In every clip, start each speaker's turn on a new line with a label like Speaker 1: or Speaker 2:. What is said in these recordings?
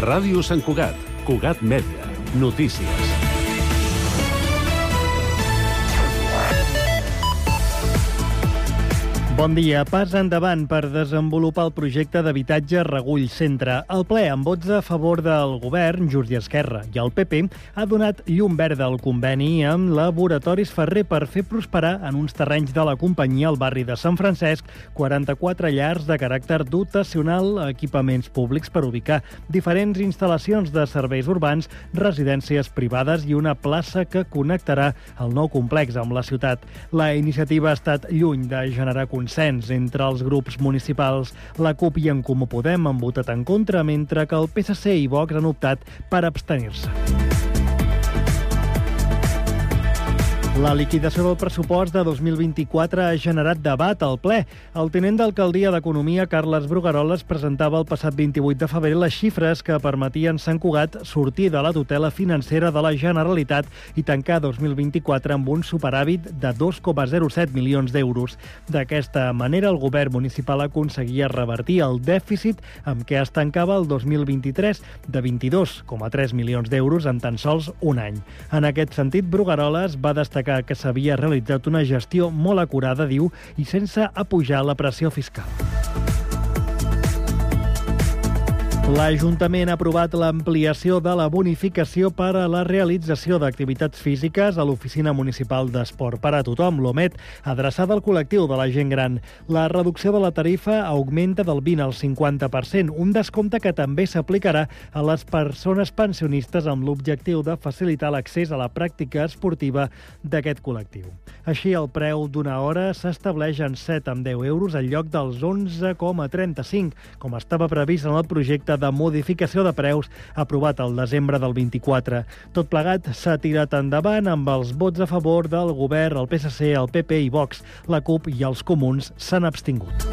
Speaker 1: Ràdio Sant Cugat, Cugat Mèdia, notícies.
Speaker 2: Bon dia. Pas endavant per desenvolupar el projecte d'habitatge Regull Centre. El ple, amb vots a favor del govern, Junts i Esquerra i el PP, ha donat llum verda al conveni amb Laboratoris Ferrer per fer prosperar en uns terrenys de la companyia al barri de Sant Francesc 44 llars de caràcter dotacional, equipaments públics per ubicar diferents instal·lacions de serveis urbans, residències privades i una plaça que connectarà el nou complex amb la ciutat. La iniciativa ha estat lluny de generar consens entre els grups municipals. La CUP i En Comú Podem han votat en contra, mentre que el PSC i Vox han optat per abstenir-se. La liquidació del pressupost de 2024 ha generat debat al ple. El tinent d'alcaldia d'Economia, Carles Brugueroles, presentava el passat 28 de febrer les xifres que permetien Sant Cugat sortir de la tutela financera de la Generalitat i tancar 2024 amb un superàvit de 2,07 milions d'euros. D'aquesta manera, el govern municipal aconseguia revertir el dèficit amb què es tancava el 2023 de 22,3 milions d'euros en tan sols un any. En aquest sentit, Brugueroles va destacar que s'havia realitzat una gestió molt acurada, diu, i sense apujar la pressió fiscal. L'Ajuntament ha aprovat l'ampliació de la bonificació per a la realització d'activitats físiques a l'Oficina Municipal d'Esport per a tothom, l'OMET, adreçada al col·lectiu de la gent gran. La reducció de la tarifa augmenta del 20 al 50%, un descompte que també s'aplicarà a les persones pensionistes amb l'objectiu de facilitar l'accés a la pràctica esportiva d'aquest col·lectiu. Així, el preu d'una hora s'estableix en 7,10 euros en lloc dels 11,35, com estava previst en el projecte de modificació de preus aprovat al desembre del 24. Tot plegat s'ha tirat endavant amb els vots a favor del govern, el PSC, el PP i Vox. La CUP i els comuns s'han abstingut.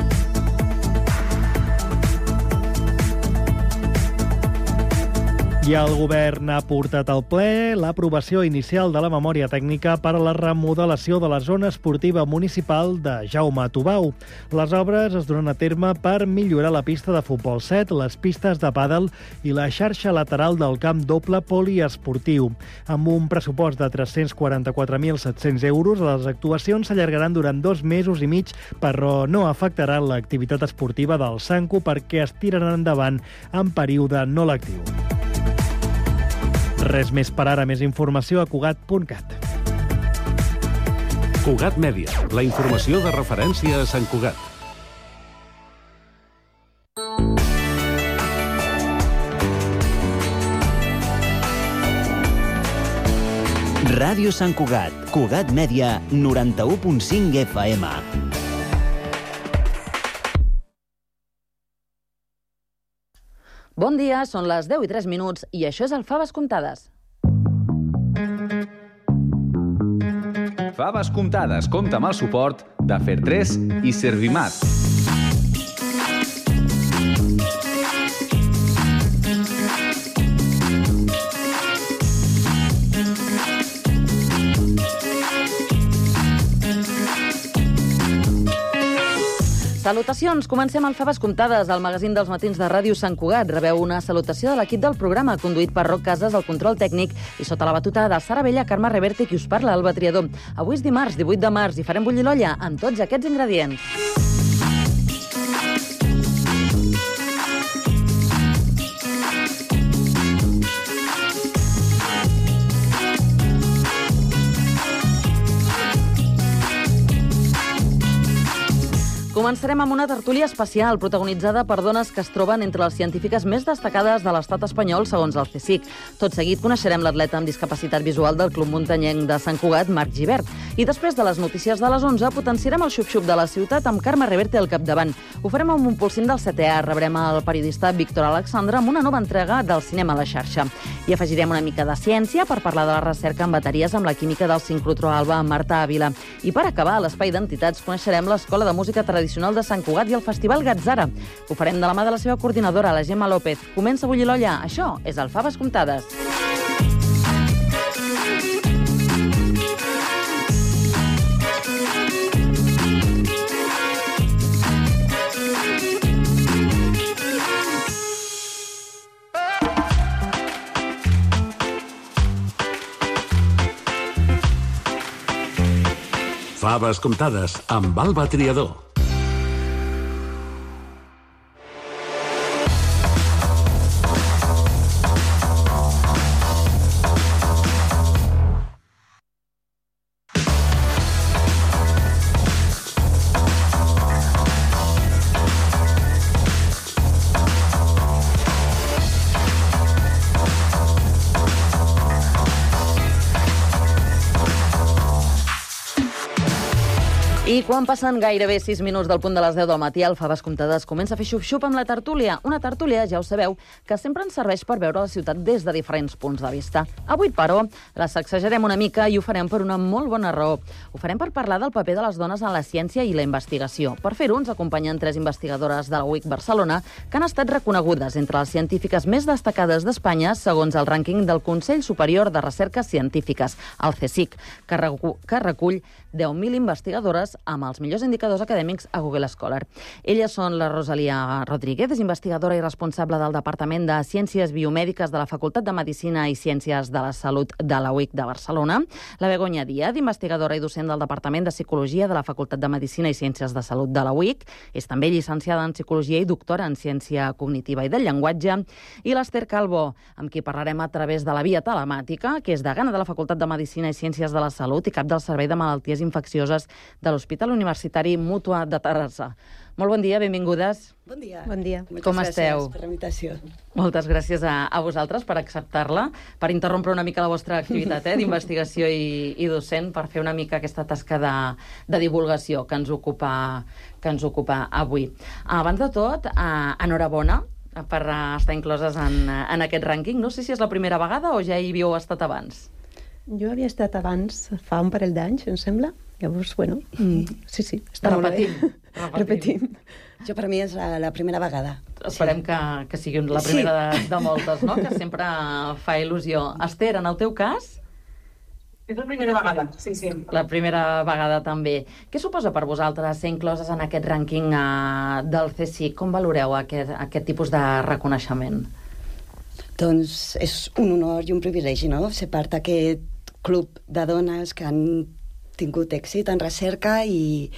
Speaker 2: I el govern ha portat al ple l'aprovació inicial de la memòria tècnica per a la remodelació de la zona esportiva municipal de Jaume Tubau. Les obres es duran a terme per millorar la pista de futbol 7, les pistes de pàdel i la xarxa lateral del camp doble poliesportiu. Amb un pressupost de 344.700 euros, les actuacions s'allargaran durant 2 mesos i mig, però no afectaran l'activitat esportiva del Sanco perquè es tiraran endavant en període no lectiu. Res més per ara, més informació a Cugat.cat.
Speaker 1: Cugat Mèdia, la informació de referència a Sant Cugat.
Speaker 3: Ràdio Sant Cugat, Cugat Mèdia, 91,5 FM.
Speaker 4: Bon dia, són les 10 i 3 minuts i això és el Faves Comptades.
Speaker 5: Faves Comptades compta amb el suport de Fer3 i Servimat.
Speaker 4: Salutacions! Comencem el Faves Comptades, el magazín dels matins de Ràdio Sant Cugat. Rebeu una salutació de l'equip del programa, conduït per Roc Casas, el control tècnic, i sota la batuta de Sara Vella, Carme Reverte, qui us parla, Alba Triador. Avui és dimarts, 18 de març, i farem bullir l'olla amb tots aquests ingredients. Començarem amb una tertúlia especial protagonitzada per dones que es troben entre les científiques més destacades de l'estat espanyol, segons el CSIC. Tot seguit coneixerem l'atleta amb discapacitat visual del Club Muntanyenc de Sant Cugat, Marc Gibert. I després de les notícies de les 11, potenciarem el xup-xup de la ciutat amb Carme Reverte al capdavant. Ho farem amb un pulsint del CTA. Rebrem el periodista Víctor Alexandre amb una nova entrega del cinema a la xarxa. I afegirem una mica de ciència per parlar de la recerca en bateries amb la química del sincrotró Alba amb Marta Ávila. I per acabar, a l'Espai d'Entitats coneixerem l'Escola de Música Tradicional de Sant Cugat i el Festival Gatzara. Ho farem de la mà de la seva coordinadora, la Gemma López. Comença a bullir l'olla. Això és el Faves Comptades.
Speaker 1: Faves comptades amb Alba Triador.
Speaker 4: I quan passen gairebé 6 minuts del punt de les 10 del matí, el Faves Comptades comença a fer xup-xup amb la tertúlia. Una tertúlia, ja ho sabeu, que sempre ens serveix per veure la ciutat des de diferents punts de vista. Avui, però, la sacsejarem una mica i ho farem per una molt bona raó. Ho farem per parlar del paper de les dones en la ciència i la investigació. Per fer-ho, ens acompanyen 3 investigadores de la UIC Barcelona que han estat reconegudes entre les científiques més destacades d'Espanya segons el rànquing del Consell Superior de Recerques Científiques, el CSIC, que recull 10.000 investigadores amb els millors indicadors acadèmics a Google Scholar. Elles són la Rosalia Rodríguez, és investigadora i responsable del Departament de Ciències Biomèdiques de la Facultat de Medicina i Ciències de la Salut de la UIC de Barcelona, la Begoña Díaz, investigadora i docent del Departament de Psicologia de la Facultat de Medicina i Ciències de Salut de la UIC, és també llicenciada en Psicologia i doctora en Ciència Cognitiva i del Llenguatge, i l'Ester Calvo, amb qui parlarem a través de la via telemàtica, que és degana de la Facultat de Medicina i Ciències de la Salut i cap del Servei de Malalties Infeccioses de l'Hospital Universitari Mútua de Terrassa. Molt bon dia, benvingudes.
Speaker 6: Bon dia.
Speaker 7: Bon dia.
Speaker 4: Com esteu?
Speaker 6: Gràcies per la invitació.
Speaker 4: Moltes gràcies a vosaltres per acceptar-la, per interrompre una mica la vostra activitat d'investigació i docent, per fer una mica aquesta tasca de divulgació que ens ocupa avui. Abans de tot, enhorabona per estar incloses en aquest rànquing. No sé si és la primera vegada o ja hi havíeu estat abans.
Speaker 7: Jo havia estat abans, fa un parell d'anys, em sembla. Llavors, bueno, sí, està repetint.
Speaker 6: Jo per mi és la primera vegada.
Speaker 4: Esperem que sigui la primera de moltes, no? Que sempre fa il·lusió. Esther, en el teu cas?
Speaker 8: És la primera vegada, sí.
Speaker 4: La primera vegada també. Què suposa per vosaltres ser incloses en aquest rànquing del CSIC? Com valoreu aquest tipus de reconeixement?
Speaker 6: Doncs és un honor i un privilegi, no?, ser part d'aquest club de dones que han tingut èxit en recerca i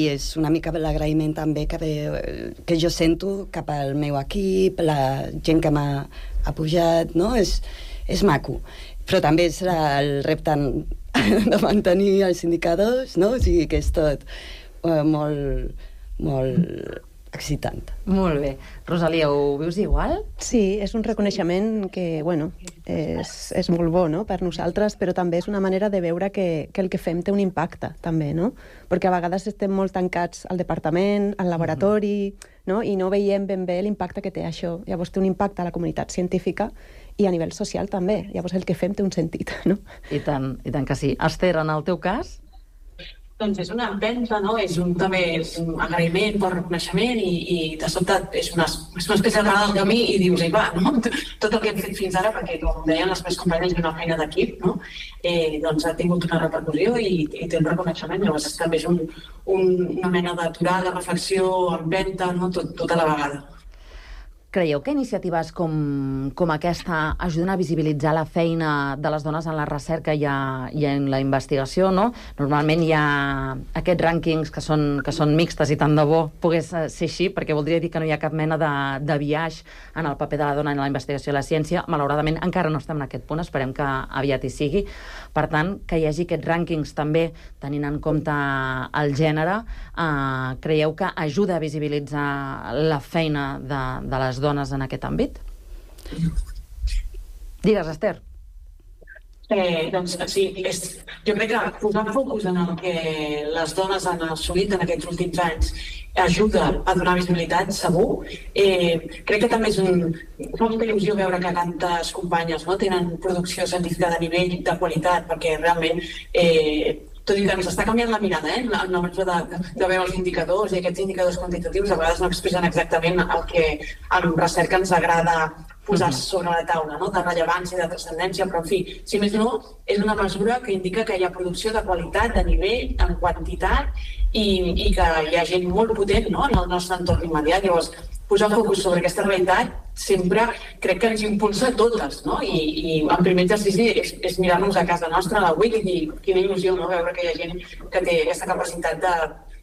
Speaker 6: és una mica l'agraïment també que jo sento cap al meu equip, la gent que m'ha apujat, no? És maco. Però també és el repte de mantenir els indicadors, no? O sigui que és tot molt excitant.
Speaker 4: Molt bé. Rosalia, ho vius igual?
Speaker 7: Sí, és un reconeixement que, bueno, és molt bo, no?, per nosaltres, però també és una manera de veure que el que fem té un impacte, també, no? Perquè a vegades estem molt tancats al departament, al laboratori, no?, i no veiem ben bé l'impacte que té això. Llavors té un impacte a la comunitat científica i a nivell social també. Llavors el que fem té un sentit, no?
Speaker 4: I tant que sí. Esther, en el teu cas?
Speaker 8: Doncs és una empenta, no? També és un agraïment per reconeixement i de sobte és una espècie de del camí i dius, va, no? Tot el que hem fet fins ara, perquè com deien les meves companyes, és una feina d'equip, no? Doncs ha tingut una repercussió i té un reconeixement. Llavors també és una mena d'aturada, reflexió, empenta, no? Tota la vegada.
Speaker 4: Creieu que iniciatives com aquesta ajuden a visibilitzar la feina de les dones en la recerca i en la investigació, no? Normalment hi ha aquests rànquings que són mixtes i tant de bo pogués ser així, perquè voldria dir que no hi ha cap mena de biaix en el paper de la dona en la investigació i la ciència. Malauradament encara no estem en aquest punt, esperem que aviat hi sigui. Per tant, que hi hagi aquests rànquings també tenint en compte el gènere, creieu que ajuda a visibilitzar la feina de les dones en aquest àmbit? Digues, Esther.
Speaker 8: Doncs sí, jo crec que posar focus en el que les dones han assolit en aquests últims anys ajuda a donar visibilitat, segur. Crec que també fa molta il·lusió veure que tantes companyes tenen producció científica de nivell, de qualitat, perquè realment tot i que ens està canviant la mirada, en la mesura de veure els indicadors, i aquests indicadors quantitatius a vegades no expressen exactament el que en recerca ens agrada posar sobre la taula, no? De rellevància, de transcendència, però en fi, si més no, és una mesura que indica que hi ha producció de qualitat, de nivell, en quantitat, i que hi ha gent molt potent, no?, en el nostre entorn immediat. Llavors, posar focus sobre aquesta realitat sempre crec que ens impulsa a totes, no? I el primer exercici és mirar-nos a casa nostra a la WIC i dir quina il·lusió, no?, veure que hi ha gent que té aquesta capacitat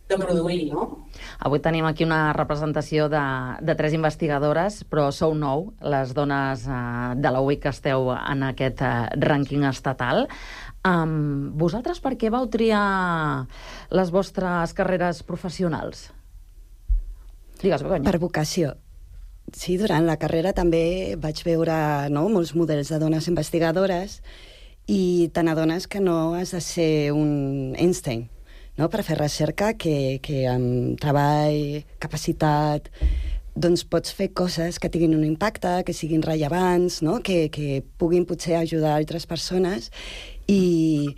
Speaker 8: de produir, no?
Speaker 4: Avui tenim aquí una representació de 3 investigadores, però sou 9, les dones de la UIC que esteu en aquest rànquing estatal. Vosaltres per què vau triar les vostres carreres professionals? Digues, Begoña.
Speaker 6: Per vocació. Sí, durant la carrera també vaig veure molts models de dones investigadores i te n'adones que no has de ser un Einstein, no?, per fer recerca, que amb treball, capacitat, doncs pots fer coses que tinguin un impacte, que siguin rellevants, no?, que puguin potser ajudar altres persones i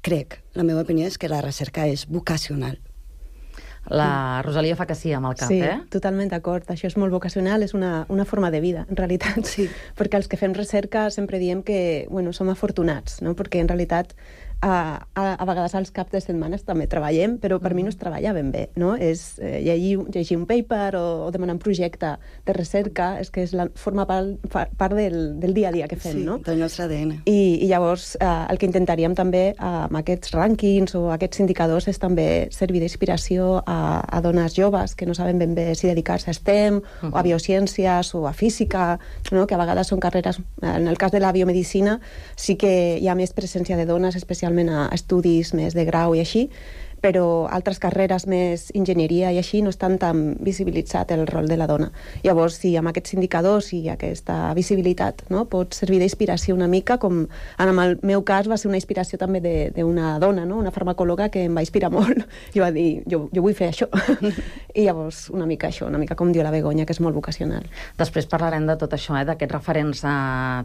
Speaker 6: crec, la meva opinió és que la recerca és vocacional.
Speaker 4: La Rosalia fa que sí amb el cap,
Speaker 7: sí, totalment d'acord. Això és molt vocacional, és una forma de vida, en realitat.
Speaker 6: Sí.
Speaker 7: Perquè els que fem recerca sempre diem que som afortunats, no? Perquè en realitat a vegades als caps de setmanes també treballem, però per mi no es treballa ben bé, no? És llegir un paper o demanar un projecte de recerca, és que forma part del dia a dia que fem, no?
Speaker 6: Sí, del nostre ADN.
Speaker 7: I llavors el que intentaríem també amb aquests rànquings o aquests indicadors és també servir d'inspiració a dones joves que no saben ben bé si dedicar-se a STEM o a biociències o a física, no? Que a vegades són carreres, en el cas de la biomedicina sí que hi ha més presència de dones, especialment a estudis més de grau i així, però altres carreres més enginyeria i així no estan tan visibilitzat el rol de la dona. Llavors, si amb aquests indicadors i aquesta visibilitat, no, pot servir d'inspiració una mica, com en el meu cas va ser una inspiració també d'una dona, no? Una farmacòloga que em va inspirar molt i va dir, jo vull fer això. I llavors una mica això, una mica com diu la Begoña, que és molt vocacional.
Speaker 4: Després parlarem de tot això, d'aquests referents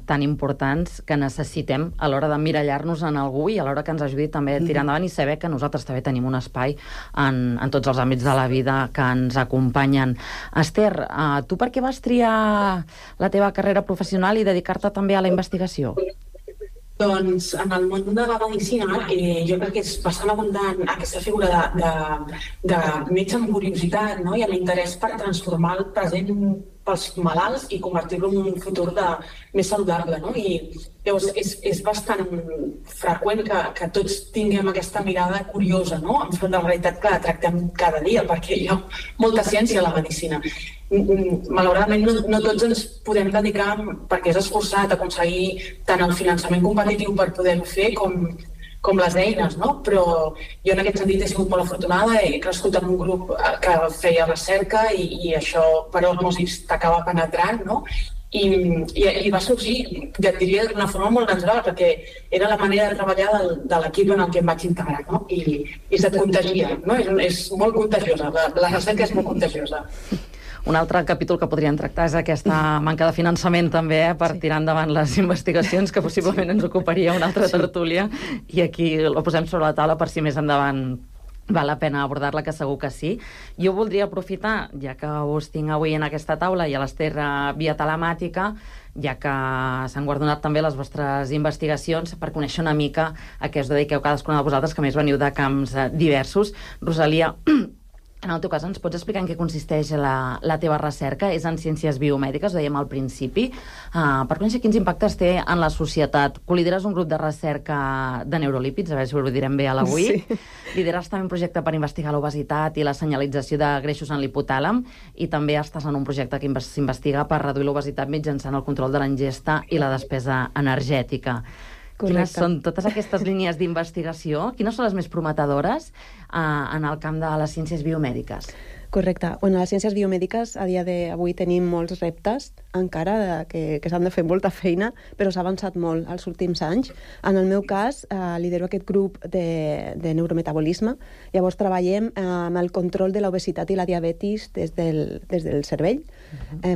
Speaker 4: tan importants que necessitem a l'hora d'emmirallar-nos en algú i a l'hora que ens ajudi també a tirar endavant i saber que nosaltres també tenim un espai en tots els àmbits de la vida que ens acompanyen. Esther, tu per què vas triar la teva carrera professional i dedicar-te també a la investigació?
Speaker 8: Doncs en el món de la medicina jo crec que és bastant abundant aquesta figura de metge amb curiositat, no? I amb interès per transformar el present pels malalts i convertir-lo en un futur més saludable, no? I llavors és bastant freqüent que tots tinguem aquesta mirada curiosa, no?, enfront de la realitat que la tractem cada dia, perquè hi ha molta ciència a la medicina. Malauradament no tots ens podem dedicar, perquè és esforçat, a aconseguir tant el finançament competitiu per poder-ho fer com les eines, no? Però jo en aquest sentit he sigut molt afortunada, he crescut en un grup que feia recerca i això per osmosis t'acaba penetrant, no? I va sorgir, ja et diria, d'una forma molt natural, perquè era la manera de treballar de l'equip en el que em vaig integrar, no? I se't contagia, no? És molt contagiosa, la recerca és molt contagiosa.
Speaker 4: Un altre capítol que podríem tractar és aquesta manca de finançament també per tirar endavant les investigacions, que possiblement ens ocuparia una altra tertúlia, i aquí ho posem sobre la taula per si més endavant val la pena abordar-la, que segur que sí. Jo voldria aprofitar, ja que us tinc avui en aquesta taula i a l'Esther via telemàtica, ja que s'han guardonat també les vostres investigacions, per conèixer una mica a què us dediqueu cadascuna de vosaltres, que més veniu de camps diversos. Rosalia, en el teu cas, ens pots explicar en què consisteix la teva recerca? És en ciències biomèdiques, ho dèiem al principi. Per conèixer quins impactes té en la societat. Colideres un grup de recerca de neurolípids, a veure si ho direm bé a l'avui. Sí. Lideres també un projecte per investigar l'obesitat i la senyalització de greixos en l'hipotàlem, i també estàs en un projecte que s'investiga per reduir l'obesitat mitjançant el control de la ingesta i la despesa energètica. Correcte. Quines són totes aquestes línies d'investigació? Quines són les més prometedores en el camp de les ciències biomèdiques?
Speaker 7: Correcte. Bueno, a les ciències biomèdiques a dia d'avui tenim molts reptes encara que s'han de fer molta feina, però s'ha avançat molt els últims anys. En el meu cas, lidero aquest grup de neurometabolisme. Llavors treballem amb el control de l'obesitat i la diabetis des del cervell,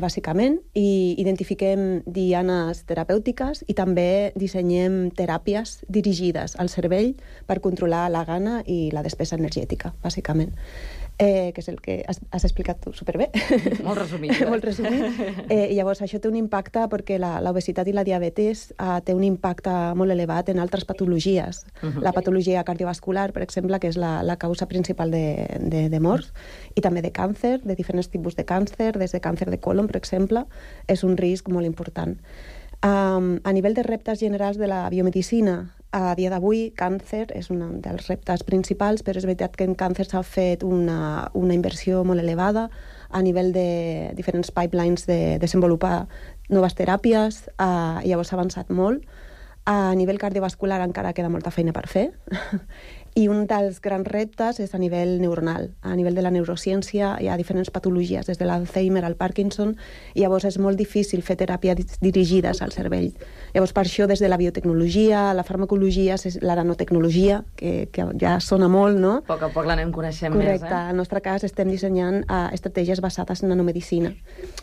Speaker 7: bàsicament, i identifiquem dianes terapèutiques i també dissenyem teràpies dirigides al cervell per controlar la gana i la despesa energètica, bàsicament. que és el que has explicat tu superbé.
Speaker 4: Molt resumit.
Speaker 7: Molt resumit. I llavors això té un impacte perquè l'obesitat i la diabetes té un impacte molt elevat en altres patologies. La patologia cardiovascular, per exemple, que és la causa principal de morts, i també de càncer, de diferents tipus de càncer, des de càncer de colon, per exemple, és un risc molt important. A nivell de reptes generals de la biomedicina, a dia d'avui, càncer és un dels reptes principals, però és veritat que en càncer s'ha fet una inversió molt elevada a nivell de diferents pipelines de desenvolupar noves teràpies, llavors s'ha avançat molt. A nivell cardiovascular encara queda molta feina per fer. I un dels grans reptes és a nivell neuronal. A nivell de la neurociència hi ha diferents patologies, des de l'Alzheimer al Parkinson, i llavors és molt difícil fer teràpies dirigides al cervell. Llavors, per això, des de la biotecnologia, la farmacologia, la nanotecnologia, que ja sona molt, no?
Speaker 4: A poc l'anem coneixent
Speaker 7: Correcte.
Speaker 4: més,
Speaker 7: En el nostre cas estem dissenyant estratègies basades en nanomedicina.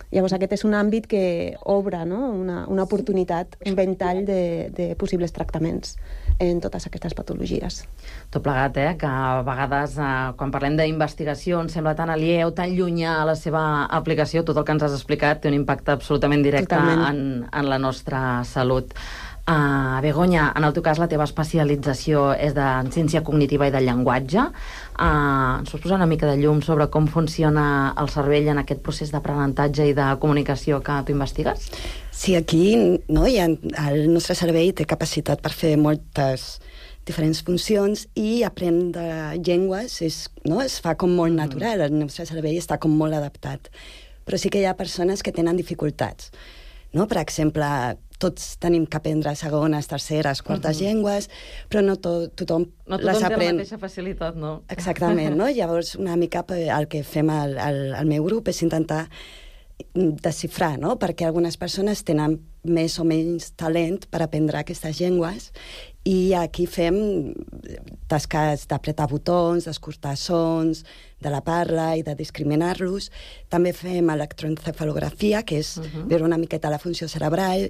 Speaker 7: Llavors, aquest és un àmbit que obre, no? una oportunitat, un ventall de possibles tractaments en totes aquestes patologies.
Speaker 4: Tot plegat, que a vegades, quan parlem d'investigació, ens sembla tan alieu, tan llunyà a la seva aplicació. Tot el que ens has explicat té un impacte absolutament directe en la nostra salut. Begoña, en el teu cas la teva especialització és en ciència cognitiva i del llenguatge. Ens pots posar una mica de llum sobre com funciona el cervell en aquest procés d'aprenentatge i de comunicació que tu investigues?
Speaker 6: Sí, aquí el nostre cervell té capacitat per fer moltes diferents funcions i aprendre llengües es fa com molt natural, el nostre cervell està com molt adaptat. Però sí que hi ha persones que tenen dificultats. Per exemple, tots tenim que aprendre segones, terceres, quartes llengües, però no tothom les aprèn.
Speaker 4: Té la mateixa facilitat, no?
Speaker 6: Exactament, no? Llavors, una mica el que fem al meu grup és intentar desxifrar, no? Perquè algunes persones tenen més o menys talent per aprendre aquestes llengües i aquí fem tasques d'apretar botons, d'escoltar sons, de la parla i de discriminar-los. També fem electroencefalografia, que és veure una miqueta la funció cerebral,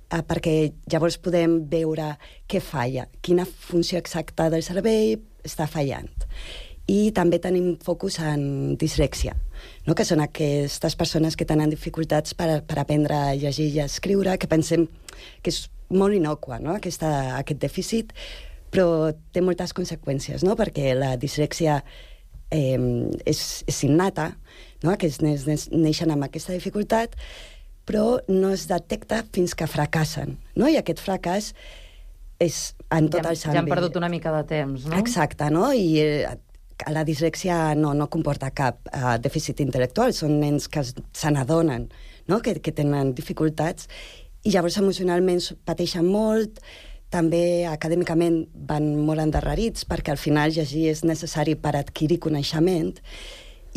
Speaker 6: perquè llavors podem veure què falla, quina funció exacta del cervell està fallant. I també tenim focus en dislèxia, que són aquestes persones que tenen dificultats per aprendre a llegir i a escriure, que pensem que és molt innocua, aquest dèficit, però té moltes conseqüències, perquè la dislèxia és innata, que neixen amb aquesta dificultat, però no es detecta fins que fracassen. I aquest fracàs és en tot el àmbit.
Speaker 4: Ja han perdut una mica de temps, no?
Speaker 6: Exacte, i la dislèxia no comporta cap dèficit intel·lectual, són nens que se n'adonen que tenen dificultats i llavors emocionalment pateixen molt, també acadèmicament van molt endarrerits perquè al final llegir és necessari per adquirir coneixement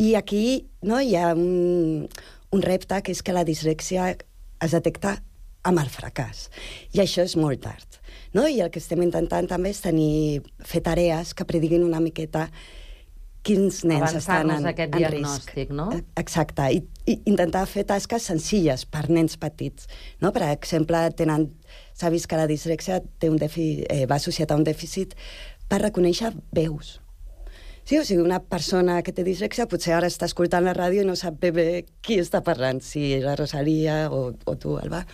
Speaker 6: i aquí hi ha un repte que és que la dislèxia es detecta amb el fracàs i això és molt tard. I el que estem intentant també és fer tarees que prediguin una miqueta quins nens estan en
Speaker 4: diagnòstic,
Speaker 6: risc.
Speaker 4: No?
Speaker 6: Exacte, i intentar fer tasques senzilles per nens petits. Per exemple, s'ha vist que la dislèxia va associat a un dèficit per reconèixer veus. Sí, o sigui, una persona que té dislèxia potser ara està escoltant la ràdio i no sap bé qui està parlant, si la Rosalia o tu, Alba.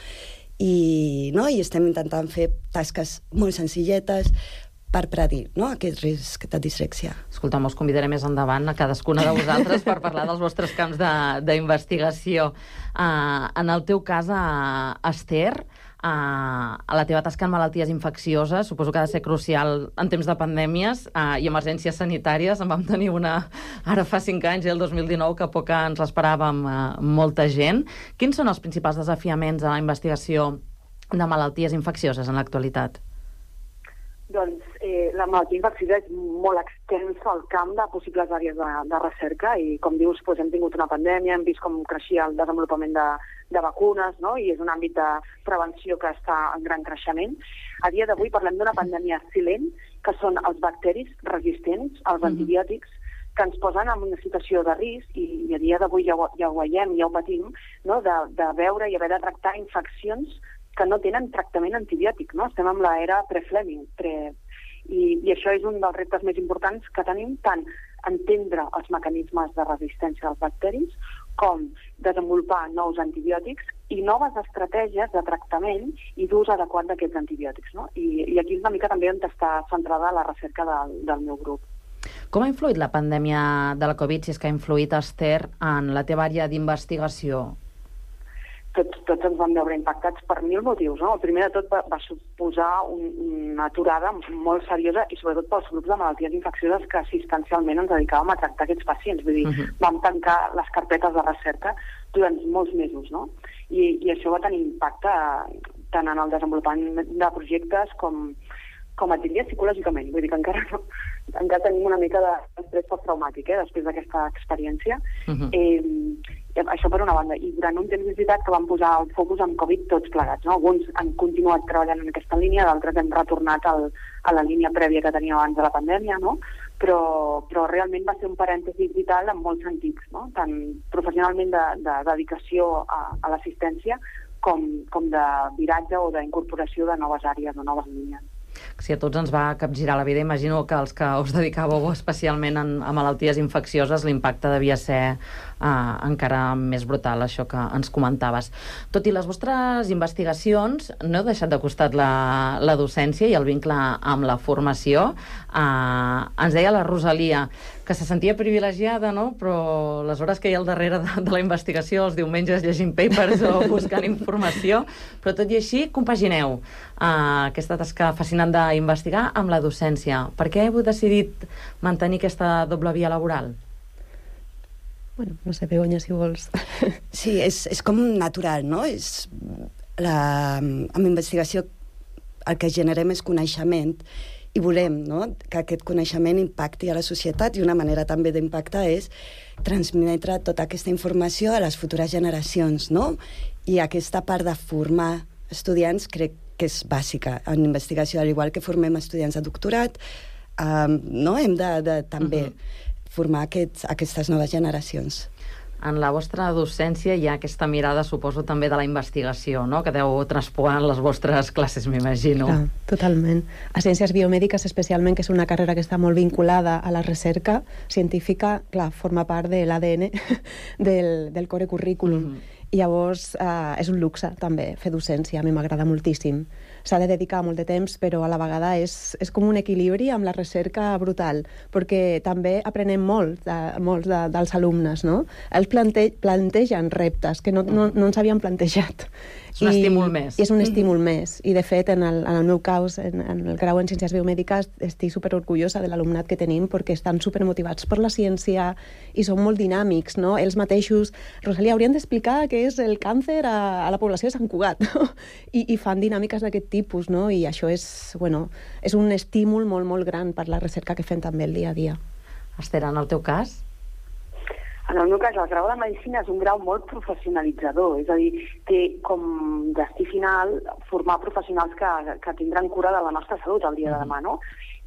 Speaker 6: I estem intentant fer tasques molt senzilletes per predir aquest risc de dislèxia.
Speaker 4: Escolta, us convidaré més endavant a cadascuna de vosaltres per parlar dels vostres camps d'investigació. En el teu cas, Esther, a la teva tasca en malalties infeccioses, suposo que ha de ser crucial en temps de pandèmies i emergències sanitàries. En vam tenir una ara fa 5 anys, el 2019, que poc ens l'esperàvem molta gent. Quins són els principals desafiaments a la investigació de malalties infeccioses en l'actualitat?
Speaker 9: Doncs la malaltia infecciosa és molt extensa al camp de possibles àrees de recerca i, com dius, hem tingut una pandèmia, hem vist com creixia el desenvolupament de vacunes, i és un àmbit de prevenció que està en gran creixement. A dia d'avui parlem d'una pandèmia silent, que són els bacteris resistents als antibiòtics, que ens posen en una situació de risc, i a dia d'avui ja ho veiem, ja ho patim, de veure i haver de tractar infeccions que no tenen tractament antibiòtic, Estem amb l'era pre-Fleming, i això és un dels reptes més importants que tenim tant entendre els mecanismes de resistència dels bacteris, com desenvolupar nous antibiòtics i noves estratègies de tractament i d'ús adequat d'aquests antibiòtics, no? I aquí és una mica també on està centrada la recerca del meu grup.
Speaker 4: Com ha influït la pandèmia de la Covid, si és que ha influït, Esther, en la teva àrea d'investigació?
Speaker 9: Tots ens vam veure impactats per 1000 motius, no? El primer de tot va suposar una aturada molt seriosa i sobretot pels grups de malalties infeccioses que assistencialment ens dedicàvem a tractar aquests pacients. Vull dir, vam tancar les carpetes de recerca durant molts mesos, no? I això va tenir impacte tant en el desenvolupament de projectes com et diria psicològicament. Vull dir que encara tenim una mica d'estrès posttraumàtic després d'aquesta experiència. Això per una banda. I durant un temps és veritat que vam posar el focus en Covid tots plegats, no? Alguns han continuat treballant en aquesta línia, d'altres hem retornat a la línia prèvia que teníem abans de la pandèmia, no? Però realment va ser un parèntesi vital en molts sentits, no? Tant professionalment de dedicació a l'assistència com de viratge o d'incorporació de noves àrees o noves línies.
Speaker 4: Si a tots ens va capgirar la vida, imagino que els que us dedicàveu especialment a malalties infeccioses, l'impacte devia ser encara més brutal, això que ens comentaves. Tot i les vostres investigacions, no heu deixat de costat la docència i el vincle amb la formació. Ens deia la Rosalia que se sentia privilegiada, no? Però les hores que hi ha al darrere de la investigació, els diumenges llegint papers o buscant informació, però tot i així compagineu aquesta tasca fascinant d'investigar amb la docència. Per què heu decidit mantenir aquesta doble via laboral?
Speaker 7: Bueno, no sé, Begoña, si vols.
Speaker 6: Sí, és com natural, no? Amb investigació el que generem és coneixement i volem, no?, que aquest coneixement impacti a la societat, i una manera també d'impactar és transmetre tota aquesta informació a les futures generacions, no? I aquesta part de formar estudiants crec que és bàsica en investigació, al igual que formem estudiants de doctorat, no? Hem de també formar aquestes noves generacions.
Speaker 4: En la vostra docència hi ha aquesta mirada, suposo, també de la investigació, no?, que deu traspuar en les vostres classes, m'imagino.
Speaker 7: Clar, totalment. A Ciències Biomèdiques, especialment, que és una carrera que està molt vinculada a la recerca científica, clar, forma part de l'ADN del core currículum. I llavors és un luxe, també, fer docència. A mi m'agrada moltíssim. S'ha de dedicar molt de temps, però a la vegada és com un equilibri amb la recerca brutal, perquè també aprenem molts dels alumnes, no? Ells plantegen reptes que no ens havien plantejat.
Speaker 4: És un estímul més.
Speaker 7: És un estímul més. I, de fet, en el meu cas, en el grau en Ciències Biomèdiques, estic superorgullosa de l'alumnat que tenim, perquè estan supermotivats per la ciència i són molt dinàmics, no? Ells mateixos, Rosalia, haurien d'explicar què és el càncer a la població de Sant Cugat, no? I fan dinàmiques d'aquest tipus, no? I això és un estímul molt, molt gran per la recerca que fem també el dia a dia.
Speaker 4: Esther, en el teu cas?
Speaker 9: En el meu cas, el grau de Medicina és un grau molt professionalitzador, és a dir, té com destí final formar professionals que tindran cura de la nostra salut el dia de demà, no?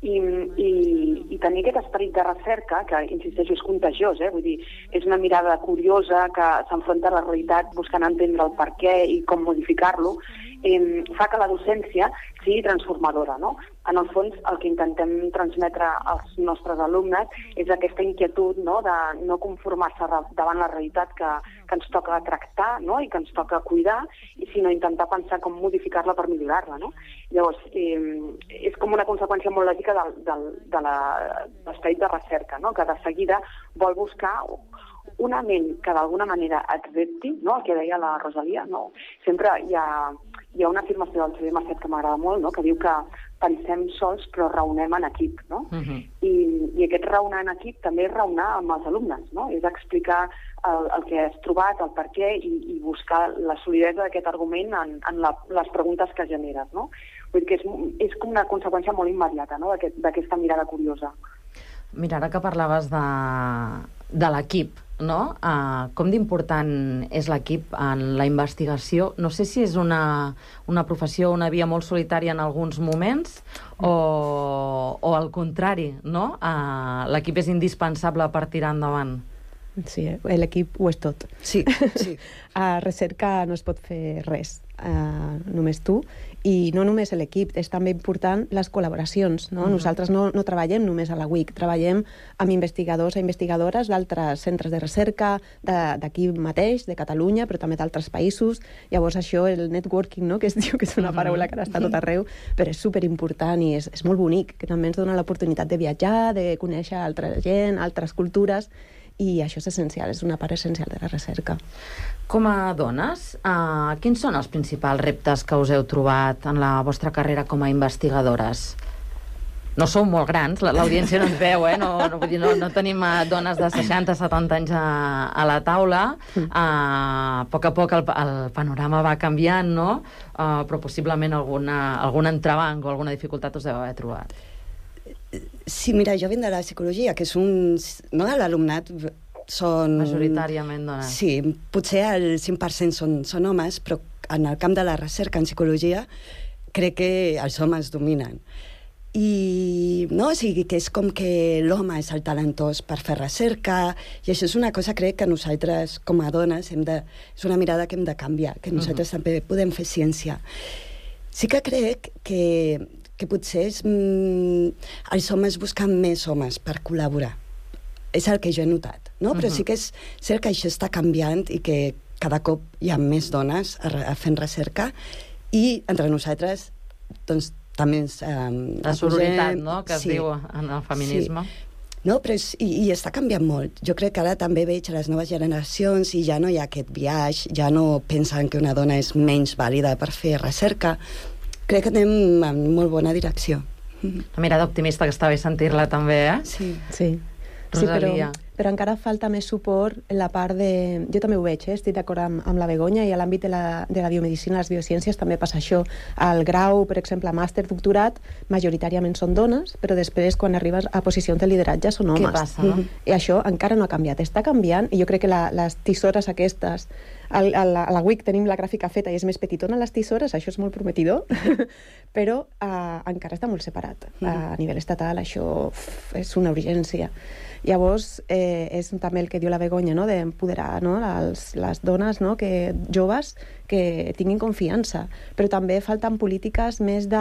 Speaker 9: I tenir aquest esperit de recerca, que, insisteixo, és contagiós, vull dir, és una mirada curiosa que s'enfronta a la realitat buscant entendre el per què i com modificar-lo, fa que la docència sigui transformadora, no? En el fons, el que intentem transmetre als nostres alumnes és aquesta inquietud, no?, de no conformar-se davant la realitat que ens toca tractar, no?, i que ens toca cuidar, sinó intentar pensar com modificar-la per millorar-la, no? Llavors, és com una conseqüència molt lògica de l'esperit de recerca, no?, que de seguida vol buscar una ment que d'alguna manera et repti, no?, el que deia la Rosalia, no? Sempre hi ha una afirmació del C.B. Macet que m'agrada molt, no?, que diu que pensem sols però raonem en equip, no? I aquest raonar en equip també és raonar amb els alumnes, no? És explicar el que has trobat, el per què, i buscar la solidesa d'aquest argument en les preguntes que generes, no? Vull dir que és com una conseqüència molt immediata, no?, d'aquesta mirada curiosa.
Speaker 4: Mira, ara que parlaves de l'equip, no? Com d'important és l'equip en la investigació? No sé si és una professió, una via molt solitària en alguns moments o al contrari, no? L'equip és indispensable per tirar endavant.
Speaker 7: Sí, l'equip ho és tot.
Speaker 6: Sí, sí.
Speaker 7: A recerca no es pot fer res, només tu. I no només l'equip, és també important les col·laboracions. No? Nosaltres no treballem només a la UIC, treballem amb investigadors i investigadores d'altres centres de recerca, d'aquí mateix, de Catalunya, però també d'altres països. Llavors això, el networking, no? Que es diu que és una paraula que ara està tot arreu, però és superimportant i és molt bonic, que també ens dona l'oportunitat de viatjar, de conèixer altra gent, altres cultures, i això és essencial, és una part essencial de la recerca.
Speaker 4: Com a dones, quins són els principals reptes que us heu trobat en la vostra carrera com a investigadores? No sou molt grans, l'audiència no ens veu, no tenim dones de 60-70 anys a la taula. A poc el panorama va canviant, no? Però possiblement algun entrebanc o alguna dificultat us deu haver trobat.
Speaker 6: Sí, mira, jo vinc de la psicologia, que és no, l'alumnat són...
Speaker 4: Majoritàriament dones.
Speaker 6: Sí, potser el 5% són homes, però en el camp de la recerca en psicologia crec que els homes dominen. I no, o sigui, que és com que l'home és el talentós per fer recerca, i això és una cosa, crec, que nosaltres, com a dones, és una mirada que hem de canviar, que nosaltres també podem fer ciència. Sí que crec que potser els homes busquen més homes per col·laborar. És el que jo he notat, no? Però sí que és cert que això està canviant i que cada cop hi ha més dones fent recerca i entre nosaltres doncs també ens...
Speaker 4: la sororitat, no?, que es diu en el feminisme.
Speaker 6: Sí. No, però i està canviant molt. Jo crec que ara també veig a les noves generacions i ja no hi ha aquest biaix, ja no pensen que una dona és menys vàlida per fer recerca. Crec que anem en molt bona direcció.
Speaker 4: Una mirada optimista, que està bé sentir-la també,
Speaker 6: Sí.
Speaker 4: Rosalia.
Speaker 7: Sí, però encara falta més suport en la part de... Jo també ho veig, estic d'acord amb la Begoña, i a l'àmbit de la biomedicina, les biociències, també passa això. Al grau, per exemple, màster, doctorat, majoritàriament són dones, però després, quan arribes a posicions de lideratge, són homes.
Speaker 4: Què passa, no?
Speaker 7: I això encara no ha canviat. Està canviant, i jo crec que les tisores aquestes... A la UIC tenim la gràfica feta i és més petitona les tisores, això és molt prometidor, però encara està molt separat. A nivell estatal això és una urgència. Llavors, és també el que diu la Begoña, no? D'empoderar, no? les dones, no? Joves que tinguin confiança, però també falten polítiques més de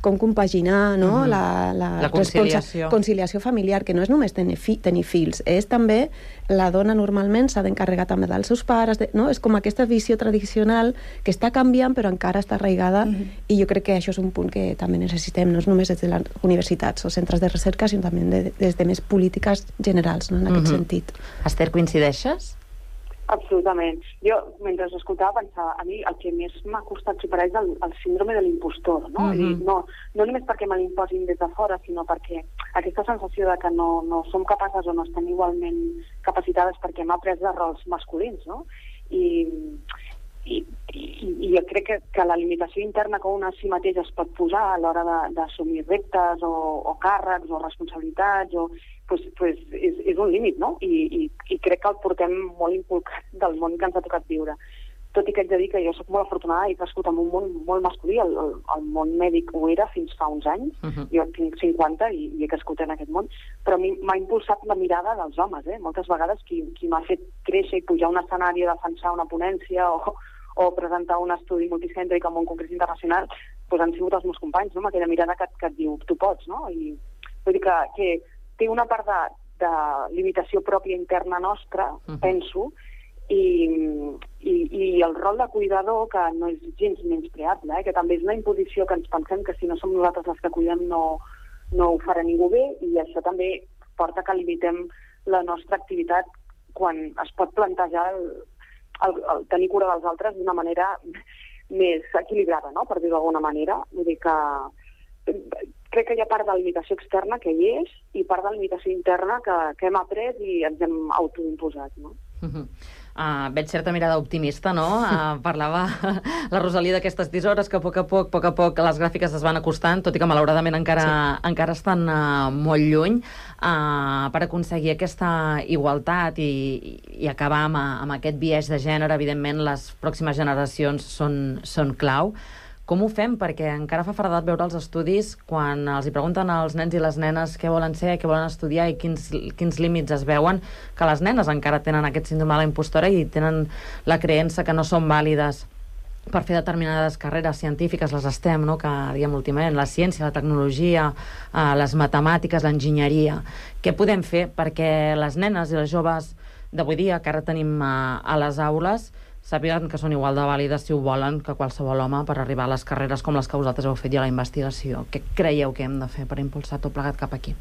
Speaker 7: com compaginar, no?
Speaker 4: La conciliació.
Speaker 7: Conciliació familiar, que no és només tenir fills, és també la dona normalment s'ha d'encarregar també dels seus pares, no? És com aquesta visió tradicional que està canviant però encara està arraigada, i jo crec que això és un punt que també necessitem, no és només des de les universitats o centres de recerca, sinó també des de més polítiques generals, no? En aquest sentit.
Speaker 4: Esther, coincideixes?
Speaker 9: Absolutament. Jo, mentre escoltava, pensava, a mi el que més m'ha costat superar és el síndrome de l'impostor, no? No només perquè me l'imposin des de fora, sinó perquè aquesta sensació de que no som capaces o no estem igualment capacitades perquè hem après de rols masculins, no? I jo crec que la limitació interna que una a si mateix es pot posar a l'hora d'assumir reptes o càrrecs o responsabilitats pues és un límit, no? I crec que el portem molt inculcat del món que ens ha tocat viure. Tot i que haig de dir que jo soc molt afortunada i he crescut en un món molt masculí. El món mèdic ho era fins fa uns anys. Jo tinc 50 i he crescut en aquest món. Però a mi m'ha impulsat la mirada dels homes. Moltes vegades qui m'ha fet créixer i pujar a un escenari a defensar una ponència o presentar un estudi multicèntric en un congrés internacional, doncs han sigut els meus companys, no? Amb aquella mirada que et diu, tu pots, no? I vull dir que té una part de limitació pròpia interna nostra, penso, i el rol de cuidador, que no és gens menyspreable, que també és una imposició que ens pensem que si no som nosaltres les que cuidem no ho farà ningú bé, i això també porta que limitem la nostra activitat quan es pot plantejar el tenir cura dels altres d'una manera més equilibrada, no? Per dir-ho d'alguna manera. Vull dir que crec que hi ha part de la limitació externa que hi és i part de la limitació interna que hem après i ens hem autoimposat, no?
Speaker 4: Veig certa mirada optimista, no? Parlava la Rosalia d'aquestes tisores que a poc a poc les gràfiques es van acostant, tot i que malauradament encara estan molt lluny, per aconseguir aquesta igualtat i acabar amb aquest biaix de gènere. Evidentment, les pròximes generacions són clau. Com ho fem? Perquè encara fa feredat veure els estudis quan els hi pregunten als nens i les nenes què volen ser, què volen estudiar i quins límits es veuen, que les nenes encara tenen aquest síndrome de la impostora i tenen la creença que no són vàlides per fer determinades carreres científiques, les STEM, no? Que diguem últimament, la ciència, la tecnologia, les matemàtiques, l'enginyeria. Què podem fer perquè les nenes i les joves d'avui dia, que ara tenim a les aules, sàpiguen que són igual de vàlides, si ho volen, que qualsevol home per arribar a les carreres com les que vosaltres heu fet i a la investigació? Què creieu que hem de fer per impulsar tot plegat cap aquí?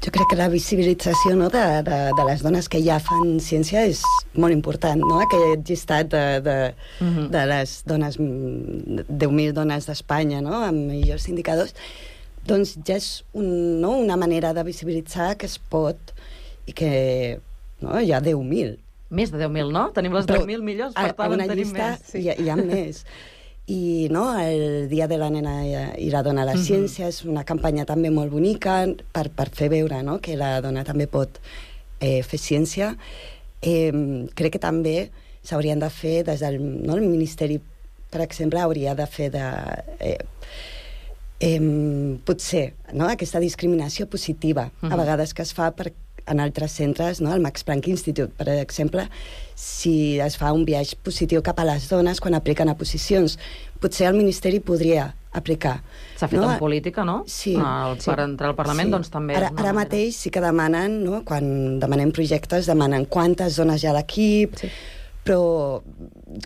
Speaker 6: Jo crec que la visibilització, no, de les dones que ja fan ciència és molt important, no? Aquest llistat de les dones, 10.000 dones d'Espanya, no? Amb millors indicadors, doncs ja és una manera de visibilitzar que es pot i que hi ha 10.000.
Speaker 4: Més de 10.000, no? Tenim les 10.000 millors, per tant en tenim més.
Speaker 6: Hi ha més. I el Dia de la Nena i la Dona a la Ciència és una campanya també molt bonica per fer veure, no?, que la dona també pot fer ciència. Crec que també s'haurien de fer des del el Ministeri, per exemple, hauria de fer potser, no?, aquesta discriminació positiva a vegades que es fa en altres centres, no? El Max Planck Institute, per exemple, si es fa un viatge positiu cap a les dones quan apliquen a posicions, potser el Ministeri podria aplicar.
Speaker 4: S'ha fet en política, no?
Speaker 6: Sí.
Speaker 4: Per entrar al Parlament, doncs també...
Speaker 6: Ara mateix sí que demanen, no? Quan demanem projectes, demanen quantes dones hi ha a l'equip, però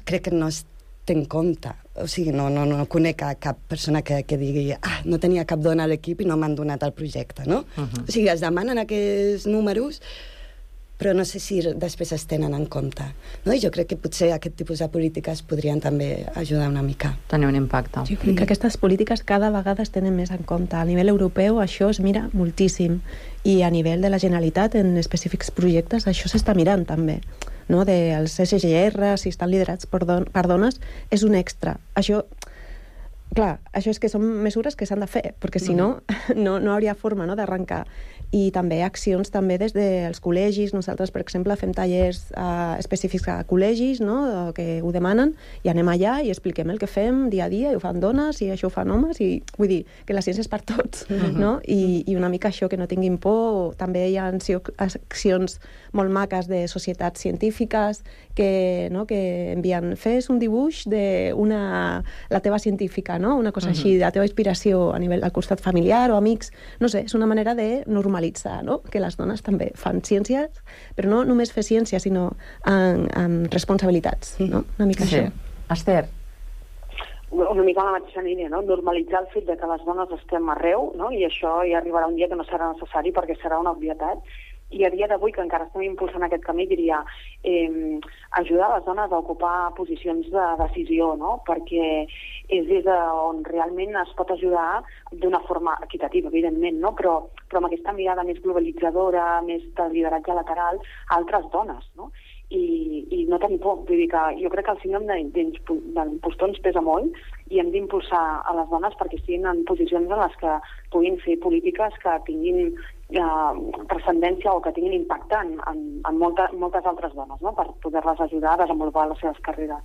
Speaker 6: crec que no es té en compte. O sigui, no conec cap persona que digui no tenia cap dona a l'equip i no m'han donat el projecte, no? O sigui, es demanen aquests números, però no sé si després es tenen en compte, no? I jo crec que potser aquest tipus de polítiques podrien també ajudar una mica.
Speaker 4: Tenir un impacte.
Speaker 7: Jo crec que aquestes polítiques cada vegada es tenen més en compte. A nivell europeu això es mira moltíssim i a nivell de la Generalitat en específics projectes això s'està mirant també, no? Els SGR, si estan liderats per dones, és un extra. Això, clar, això és que són mesures que s'han de fer, perquè si no hauria forma, no?, d'arrencar. I també accions també des dels col·legis. Nosaltres, per exemple, fem tallers específics a col·legis, no?, que ho demanen, i anem allà i expliquem el que fem dia a dia, i ho fan dones, i això ho fan homes, i vull dir que la ciència és per tots, no? I una mica això, que no tinguin por. També hi ha accions molt maques de societats científiques que envien, fes un dibuix de la teva científica, no?, una cosa així, la teva inspiració a nivell del costat familiar o amics. No sé, és una manera de normalitzar, no?, que les dones també fan ciències, però no només fer ciència, sinó amb responsabilitats, no? Una mica això.
Speaker 4: Esther?
Speaker 9: Una mica a la mateixa línia, no? Normalitzar el fet de que les dones estem arreu, no? I això ja arribarà un dia que no serà necessari perquè serà una obvietat. I a dia d'avui, que encara estem impulsant aquest camí, diria ajudar les dones a ocupar posicions de decisió, no? Perquè és des on realment es pot ajudar d'una forma equitativa, evidentment, no? Però amb aquesta mirada més globalitzadora, més de lideratge lateral, a altres dones, no? I no tenir por. Vull dir que jo crec que el síndrome d'impostor ens pesa molt i hem d'impulsar a les dones perquè estiguin en posicions en les que puguin fer polítiques que tinguin transcendència o que tinguin impacte en moltes altres dones, no?, per poder-les ajudar a desenvolupar les seves carreres.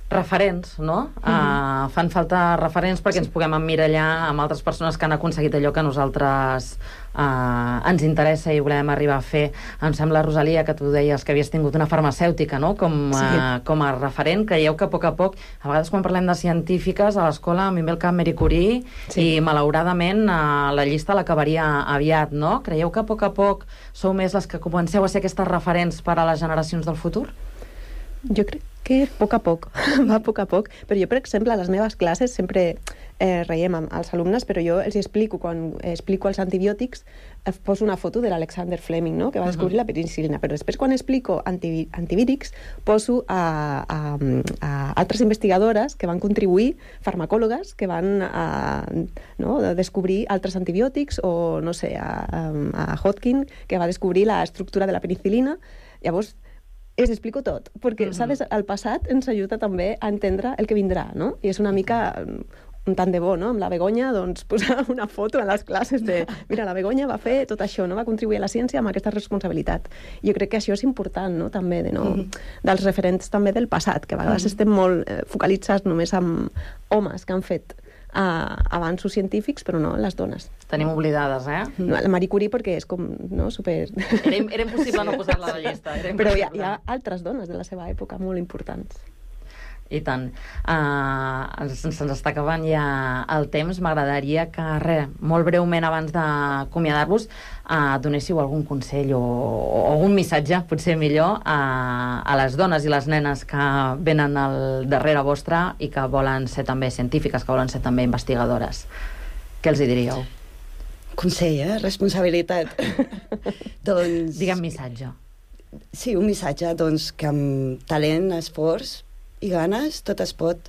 Speaker 4: Referents, no? Fan falta referents perquè ens puguem emmirallar amb altres persones que han aconseguit allò que a nosaltres ens interessa i volem arribar a fer. Em sembla, Rosalia, que tu deies que havies tingut una farmacèutica, no?, com a referent. Creieu que a poc, a vegades quan parlem de científiques, a l'escola a mi ve el cap Marie Curie i malauradament la llista l'acabaria aviat, no? Creieu que a poc sou més les que comenceu a ser aquestes referents per a les generacions del futur?
Speaker 7: Jo crec que a poc, va a poc, però jo, per exemple, a les meves classes sempre reiem amb els alumnes, però jo els explico, quan explico els antibiòtics, poso una foto de l'Alexander Fleming, no?, que va descobrir la penicil·lina, però després quan explico antivírics poso a altres investigadores que van contribuir, farmacòlogues que van descobrir altres antibiòtics, o no sé, a Hodgkin, que va descobrir l'estructura de la penicil·lina. Llavors els explico tot, perquè, saps, el passat ens ajuda també a entendre el que vindrà, no? I és una mica tant de bo, no? Amb la Begoña, doncs, posar una foto a les classes de mira, la Begoña va fer tot això, no? Va contribuir a la ciència amb aquesta responsabilitat. Jo crec que això és important, no? També, dels referents també del passat, que a vegades estem molt focalitzats només amb homes que han fet avanços científics, però no les dones.
Speaker 4: Tenim oblidades,
Speaker 7: La Marie Curie perquè és com, no, super...
Speaker 4: Era impossible no posar-la a la llista.
Speaker 7: Però hi ha altres dones de la seva època molt importants.
Speaker 4: I tant. Se'ns està acabant ja el temps. M'agradaria que, molt breument abans d'acomiadar-vos, donéssiu algun consell o algun missatge, potser millor, a les dones i les nenes que venen al darrere vostre i que volen ser també científiques, que volen ser també investigadores. Què els hi diríeu?
Speaker 6: Consell, responsabilitat. Doncs...
Speaker 4: Digue'm missatge.
Speaker 6: Sí, un missatge, doncs, que amb talent, esforç i ganes tot es pot.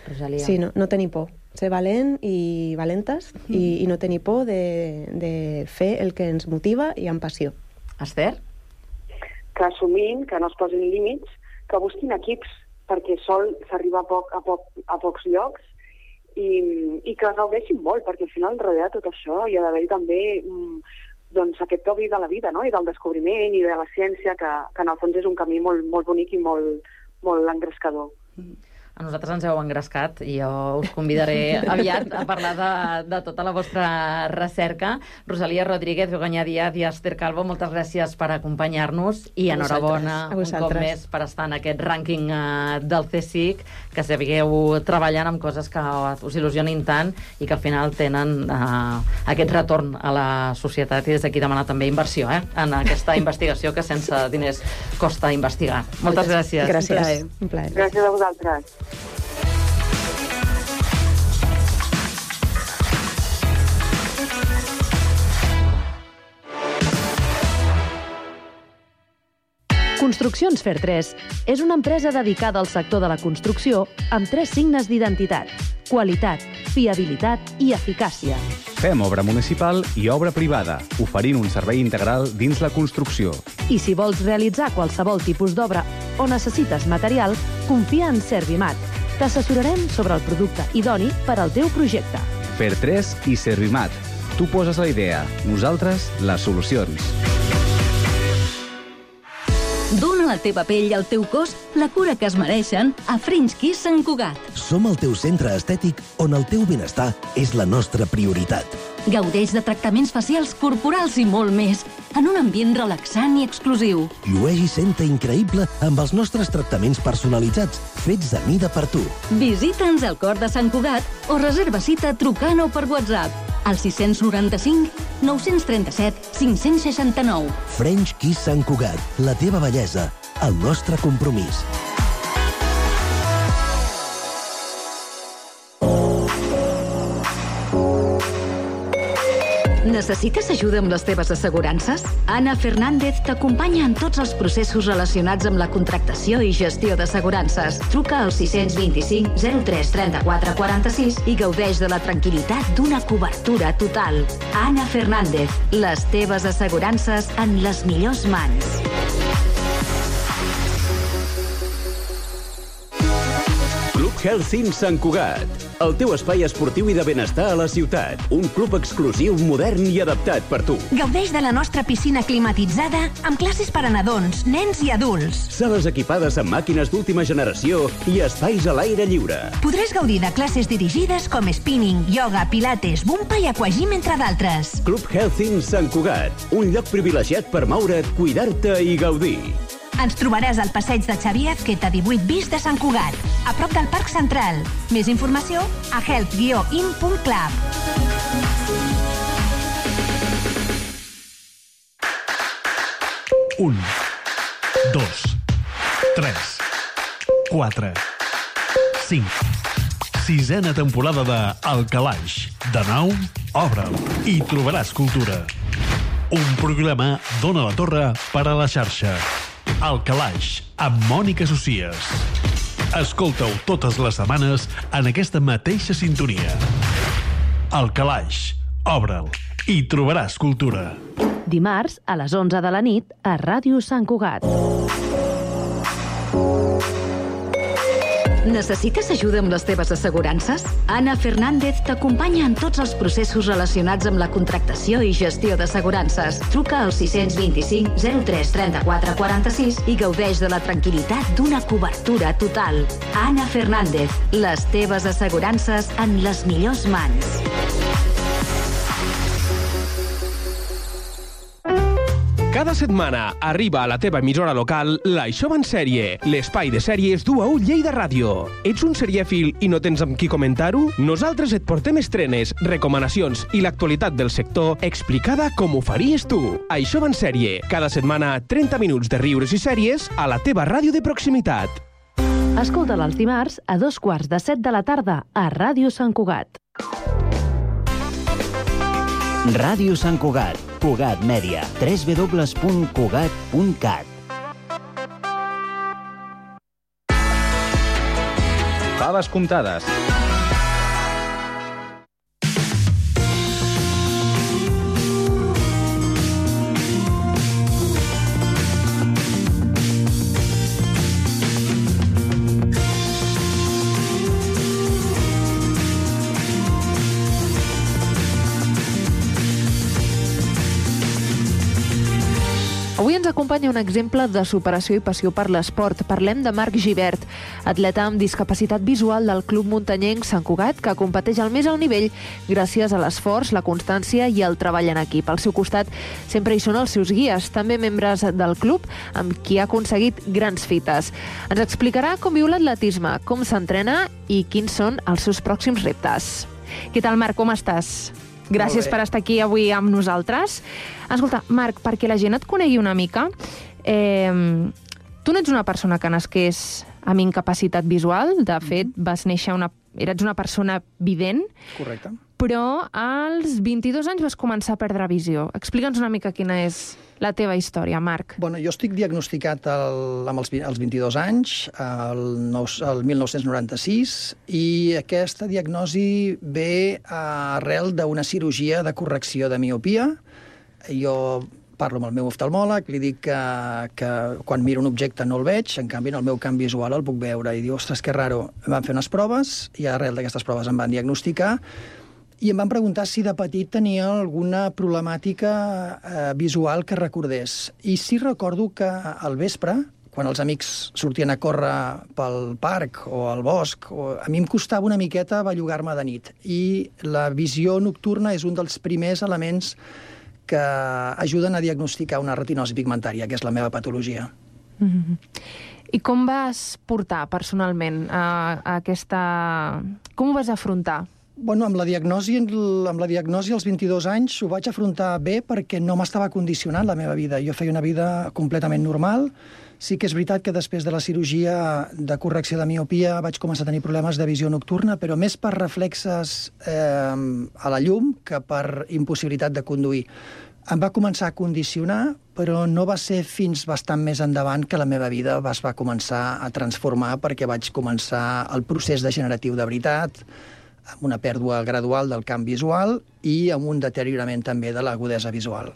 Speaker 4: Rosalia.
Speaker 7: Sí, no tenir por. Ser valent i valentes i no tenir por de fer el que ens motiva i amb passió.
Speaker 4: Esther?
Speaker 9: Que assumint, que no es posin límits, que busquin equips, perquè sol s'arriba a pocs llocs i que gaudeixin molt, perquè al final darrere de tot això hi ha d'haver també doncs aquest toc de la vida, no? I del descobriment i de la ciència, que en el fons és un camí molt, molt bonic i molt engrescador.
Speaker 4: A nosaltres ens heu engrescat i jo us convidaré aviat a parlar de tota la vostra recerca. Rosalia Rodríguez, Begoña Díaz i Esther Calvo, moltes gràcies per acompanyar-nos i enhorabona un cop més per estar en aquest rànquing del CSIC, que seguiu treballant amb coses que us il·lusionin tant i que al final tenen aquest retorn a la societat, i des d'aquí demanar també inversió en aquesta investigació que sense diners costa investigar. Moltes gràcies.
Speaker 7: Gràcies. Un plaer.
Speaker 9: Gràcies a vosaltres.
Speaker 10: Construccions Fer3 és una empresa dedicada al sector de la construcció amb 3 signes d'identitat: qualitat, fiabilitat i eficàcia.
Speaker 5: Fem obra municipal i obra privada, oferint un servei integral dins la construcció.
Speaker 10: I si vols realitzar qualsevol tipus d'obra o necessites material, confia en Servimat. T'assessorarem sobre el producte idoni per al teu projecte.
Speaker 5: Fer3 i Servimat. Tu poses la idea, nosaltres les solucions.
Speaker 11: Dóna a la teva pell i al teu cos la cura que es mereixen a French Kiss Sant Cugat.
Speaker 12: Som el teu centre estètic on el teu benestar és la nostra prioritat.
Speaker 11: Gaudeix de tractaments facials, corporals i molt més, en un ambient relaxant i exclusiu.
Speaker 12: Llueix i senta increïble amb els nostres tractaments personalitzats, fets a mida per tu.
Speaker 11: Visita'ns al cor de Sant Cugat o reserva cita trucant o per WhatsApp al 695 937 569.
Speaker 12: French Kiss Sant Cugat, la teva bellesa, el nostre compromís.
Speaker 11: Necessites ajuda amb les teves assegurances? Ana Fernández t'acompanya en tots els processos relacionats amb la contractació i gestió d'assegurances. Truca al 625 03 34 46 i gaudeix de la tranquil·litat d'una cobertura total. Ana Fernández, les teves assegurances en les millors mans.
Speaker 1: Club Helsinki Sant Cugat, el teu espai esportiu i de benestar a la ciutat. Un club exclusiu, modern i adaptat per tu.
Speaker 13: Gaudeix de la nostra piscina climatitzada amb classes per a nadons, nens i adults.
Speaker 1: Sales equipades amb màquines d'última generació i espais a l'aire lliure.
Speaker 13: Podràs gaudir de classes dirigides com spinning, yoga, pilates, bumpa i aquagym, entre d'altres.
Speaker 1: Club Helsinki Sant Cugat, un lloc privilegiat per moure't, cuidar-te i gaudir.
Speaker 13: Ens trobaràs al passeig de Xavier Azqueta 18 bis de Sant Cugat, a prop del Parc Central. Més informació a health-in.club.
Speaker 14: Un, 2, 3, 4, 5. 6a temporada de El Calaix. De nou, obre'l i trobaràs cultura. Un programa d'Ona la Torre per a la xarxa. El Calaix, amb Mònica Socies. Escolta-ho totes les setmanes en aquesta mateixa sintonia. El Calaix, obre'l i trobaràs cultura.
Speaker 10: Dimarts a les 11 de la nit a Ràdio Sant Cugat.
Speaker 11: Necessites ajuda amb les teves assegurances? Ana Fernández t'acompanya en tots els processos relacionats amb la contractació i gestió d'assegurances. Truca al 625 03 34 46 i gaudeix de la tranquil·litat d'una cobertura total. Ana Fernández, les teves assegurances en les millors mans.
Speaker 15: Cada setmana arriba a la teva emissora local l'Això va en sèrie, l'espai de sèries d'UAU Lleida Ràdio. Ets un serièfil i no tens amb qui comentar-ho? Nosaltres et portem estrenes, recomanacions i l'actualitat del sector explicada com ho faries tu. Això va en sèrie, cada setmana 30 minuts de riures i sèries a la teva ràdio de proximitat.
Speaker 10: Escolta'l els dimarts a 2:15 de la tarda a Ràdio Sant Cugat.
Speaker 3: Ràdio Sant Cugat, Cugat Mèdia, www.cugat.cat.
Speaker 5: Faves comptades.
Speaker 16: Avui ens acompanya un exemple de superació i passió per l'esport. Parlem de Marc Gibert, atleta amb discapacitat visual del Club Muntanyenc Sant Cugat, que competeix al més alt nivell gràcies a l'esforç, la constància i el treball en equip. Al seu costat sempre hi són els seus guies, també membres del club, amb qui ha aconseguit grans fites. Ens explicarà com viu l'atletisme, com s'entrena i quins són els seus pròxims reptes. Què tal, Marc? Com estàs? Gràcies per estar aquí avui amb nosaltres. Escolta, Marc, perquè la gent et conegui una mica, tu no ets una persona que nasqués amb incapacitat visual, de fet, eres una persona vident.
Speaker 17: Correcte.
Speaker 16: Però als 22 anys vas començar a perdre visió. Explica'ns una mica quina és la teva història, Marc.
Speaker 17: Bueno, jo estic diagnosticat als 22 anys, el 1996, i aquesta diagnosi ve arrel d'una cirurgia de correcció de miopia. Jo parlo amb el meu oftalmòleg, li dic que quan miro un objecte no el veig, en canvi en el meu camp visual el puc veure. I diu, ostres, que raro. Em van fer unes proves, i arrel d'aquestes proves em van diagnosticar, i em van preguntar si de petit tenia alguna problemàtica visual que recordés. I sí recordo que al vespre, quan els amics sortien a córrer pel parc o al bosc, a mi em costava una miqueta bellugar-me de nit. I la visió nocturna és un dels primers elements que ajuden a diagnosticar una retinosi pigmentària, que és la meva patologia.
Speaker 16: I com vas portar personalment aquesta... Com ho vas afrontar?
Speaker 17: Bueno, amb la diagnosi als 22 anys ho vaig afrontar bé perquè no m'estava condicionant la meva vida. Jo feia una vida completament normal. Sí que és veritat que després de la cirurgia de correcció de miopia vaig començar a tenir problemes de visió nocturna, però més per reflexes a la llum que per impossibilitat de conduir. Em va començar a condicionar, però no va ser fins bastant més endavant que la meva vida es va començar a transformar, perquè vaig començar el procés degeneratiu de veritat, amb una pèrdua gradual del camp visual i amb un deteriorament també de l'agudesa visual.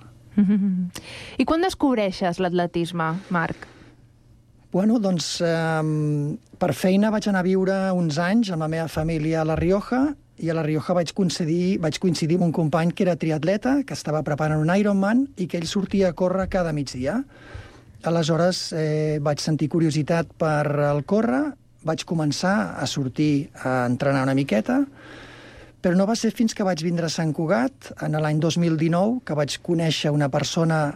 Speaker 16: I quan descobreixes l'atletisme, Marc?
Speaker 17: Bueno, doncs, per feina vaig anar a viure uns anys amb la meva família a La Rioja, i a La Rioja vaig coincidir amb un company que era triatleta, que estava preparant un Ironman i que ell sortia a córrer cada migdia. Aleshores vaig sentir curiositat per el córrer, vaig començar a sortir a entrenar una miqueta, però no va ser fins que vaig vindre a Sant Cugat, en l'any 2019, que vaig conèixer una persona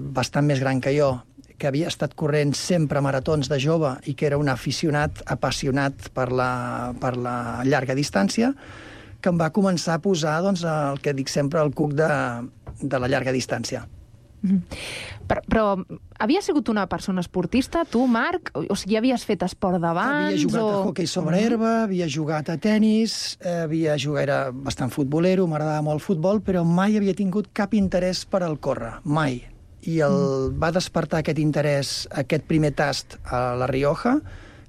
Speaker 17: bastant més gran que jo, que havia estat corrent sempre maratons de jove i que era un aficionat, apassionat per la llarga distància, que em va començar a posar el que dic sempre, el cuc de la llarga distància.
Speaker 16: Però havies sigut una persona esportista, tu, Marc? O sigui, havies fet esport d'abans?
Speaker 17: Havia jugat a hoquei sobre herba, havia jugat a tennis, era bastant futbolero, m'agradava molt el futbol, però mai havia tingut cap interès per al córrer, mai. I va despertar aquest interès, aquest primer tast a La Rioja,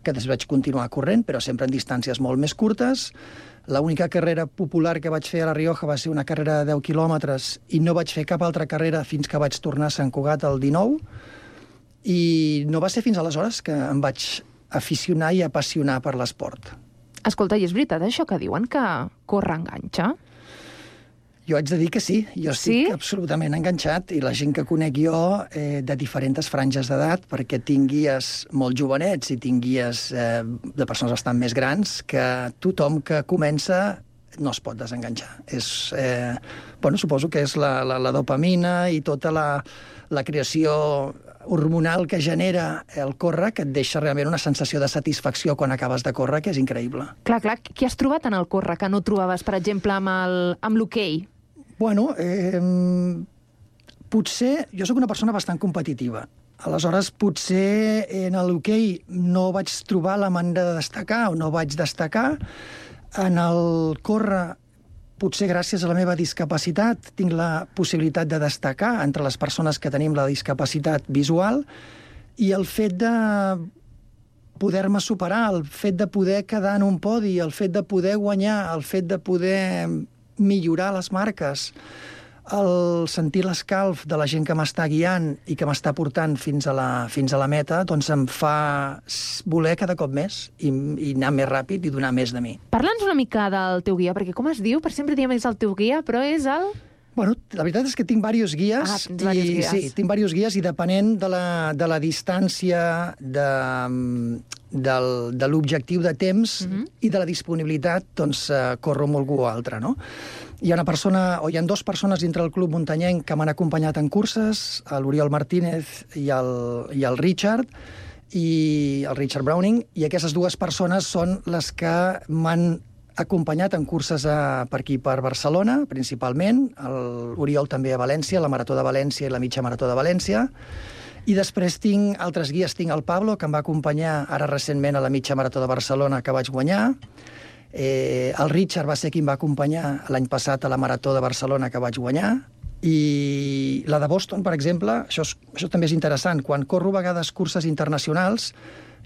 Speaker 17: que després vaig continuar corrent, però sempre en distàncies molt més curtes. L'única carrera popular que vaig fer a La Rioja va ser una carrera de 10 quilòmetres i no vaig fer cap altra carrera fins que vaig tornar a Sant Cugat el 19. I no va ser fins aleshores que em vaig aficionar i apassionar per l'esport.
Speaker 16: Escolta, i és veritat això que diuen que córrer enganxa?
Speaker 17: Jo haig de dir que sí, jo estic absolutament enganxat i la gent que conec jo de diferents franges d'edat, perquè tinc guies molt jovenets i tinc guies de persones bastant més grans, que tothom que comença no es pot desenganxar. Suposo que és la dopamina i tota la creació hormonal que genera el córrer, que et deixa realment una sensació de satisfacció quan acabes de córrer, que és increïble.
Speaker 16: Clar, què has trobat en el córrer que no trobaves, per exemple, amb l'hoquei?
Speaker 17: Bueno, potser jo sóc una persona bastant competitiva. Aleshores, potser en l'hoquei no vaig trobar la manera de destacar o no vaig destacar. En el córrer, potser gràcies a la meva discapacitat, tinc la possibilitat de destacar entre les persones que tenim la discapacitat visual, i el fet de poder-me superar, el fet de poder quedar en un podi, el fet de poder guanyar, el fet de poder millorar les marques, el sentir l'escalf de la gent que m'està guiant i que m'està portant fins a la meta, doncs em fa voler cada cop més i anar més ràpid i donar més de mi.
Speaker 16: Parla'ns una mica del teu guia, perquè com es diu? Per sempre diem és el teu guia, però és el...
Speaker 17: Bueno, la veritat és que tinc diversos guies. Sí, tinc diversos guies i depenent de la distància, de l'objectiu de temps i de la disponibilitat, doncs corro amb algú o altre, no? Hi ha dues persones dintre del Club Muntanyenc que m'han acompanyat en curses, l'Oriol Martínez i el Richard Browning, i aquestes dues persones són les que m'han acompanyat en curses per aquí, per Barcelona, principalment, l'Oriol també a València, la Marató de València i la Mitja Marató de València, i després tinc altres guies, tinc el Pablo, que em va acompanyar ara recentment a la Mitja Marató de Barcelona, que vaig guanyar, el Richard va ser qui em va acompanyar l'any passat a la Marató de Barcelona, que vaig guanyar, i la de Boston, per exemple, això també és interessant, quan corro a vegades curses internacionals,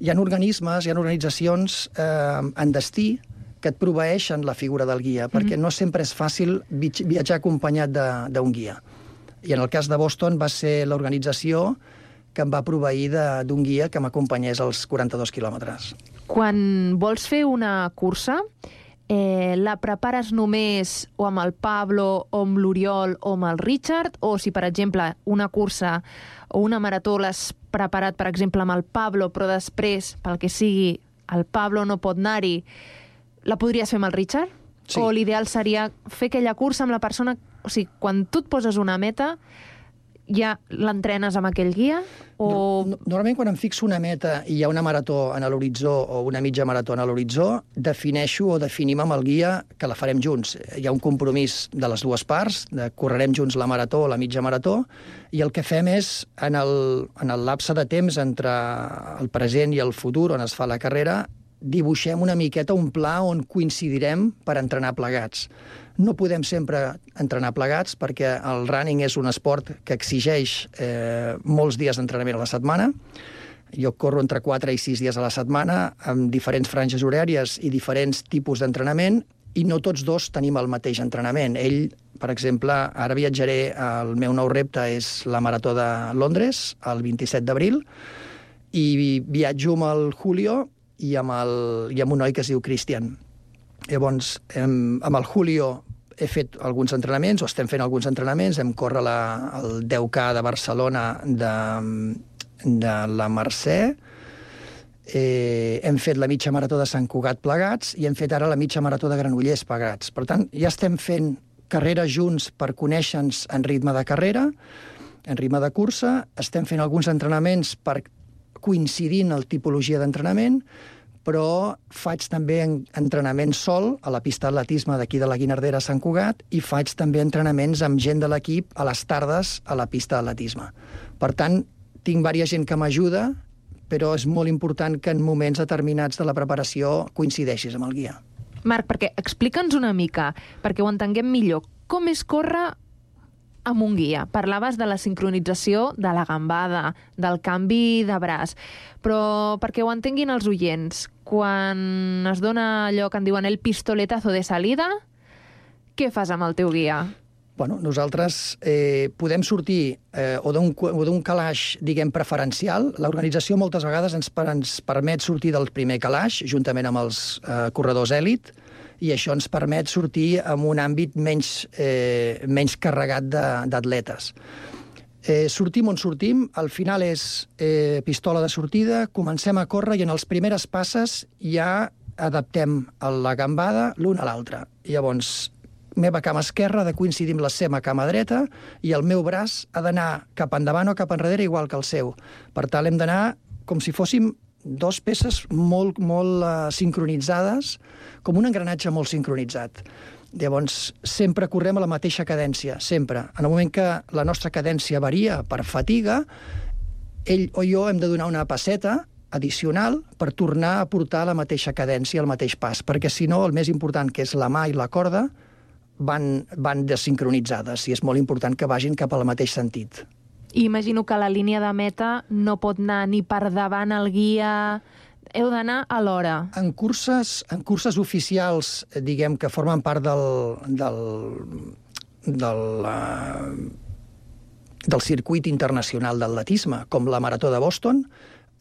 Speaker 17: hi ha organismes, hi ha organitzacions en destí que et proveeixen la figura del guia, perquè no sempre és fàcil viatjar acompanyat d'un guia. I en el cas de Boston va ser l'organització que em va proveir d'un guia que m'acompanyés als 42 quilòmetres.
Speaker 16: Quan vols fer una cursa, la prepares només o amb el Pablo, o amb l'Oriol, o amb el Richard, o si, per exemple, una cursa o una marató l'has preparat, per exemple, amb el Pablo, però després, pel que sigui, el Pablo no pot anar-hi, la podries fer amb el Richard? Sí. O l'ideal seria fer aquella cursa amb la persona... O sigui, quan tu et poses una meta, ja l'entrenes amb aquell guia? O...
Speaker 17: Normalment, quan em fixo una meta i hi ha una marató a l'horitzó o una mitja marató a l'horitzó, definim amb el guia que la farem junts. Hi ha un compromís de les dues parts, correrem junts la marató o la mitja marató, i el que fem és, en el lapse de temps entre el present i el futur, on es fa la carrera, dibuixem una miqueta un pla on coincidirem per entrenar plegats. No podem sempre entrenar plegats perquè el running és un esport que exigeix molts dies d'entrenament a la setmana. Jo corro entre 4 i 6 dies a la setmana amb diferents franges horàries i diferents tipus d'entrenament i no tots dos tenim el mateix entrenament. Ell, per exemple, ara viatjaré, el meu nou repte és la Marató de Londres, el 27 d'abril, i viatjo amb el Julio i amb un noi que es diu Cristian. Llavors, amb el Julio he fet alguns entrenaments, o estem fent alguns entrenaments, hem córrer el 10K de Barcelona de la Mercè, hem fet la mitja marató de Sant Cugat plegats i hem fet ara la mitja marató de Granollers plegats. Per tant, ja estem fent carreres junts per conèixer-nos en ritme de carrera, en ritme de cursa, estem fent alguns entrenaments per coincidir en la tipologia d'entrenament, però faig també entrenament sol a la pista d'atletisme d'aquí de la Guinardera a Sant Cugat i faig també entrenaments amb gent de l'equip a les tardes a la pista d'atletisme. Per tant, tinc diversa gent que m'ajuda, però és molt important que en moments determinats de la preparació coincideixis amb el guia.
Speaker 16: Marc, explica'ns una mica, perquè ho entenguem millor. Com és córrer amb un guia? Parlaves de la sincronització de la gambada, del canvi de braç, però perquè ho entenguin els oients, quan es dona allò que en diuen el pistoletazo de salida, què fas amb el teu guia?
Speaker 17: Bueno, nosaltres podem sortir o d'un calaix, diguem, preferencial. L'organització moltes vegades ens permet sortir del primer calaix, juntament amb els corredors èlit, i això ens permet sortir en un àmbit menys carregat d'atletes. Sortim on sortim, al final és pistola de sortida, comencem a córrer i en les primeres passes ja adaptem la gambada l'un a l'altre. Llavors, meva cama esquerra ha de coincidir amb la seva cama dreta i el meu braç ha d'anar cap endavant o cap enrere igual que el seu. Per tant, hem d'anar com si fóssim dos peces molt sincronitzades, com un engranatge molt sincronitzat. Llavors, sempre correm a la mateixa cadència, sempre. En el moment que la nostra cadència varia per fatiga, ell o jo hem de donar una passeta addicional per tornar a portar la mateixa cadència, el mateix pas, perquè si no, el més important, que és la mà i la corda, van desincronitzades i és molt important que vagin cap al mateix sentit.
Speaker 16: I imagino que la línia de meta no pot anar ni per davant el guia... Heu d'anar a l'hora. En curses oficials, diguem, que formen part del circuit internacional d'atletisme, com la Marató de Boston,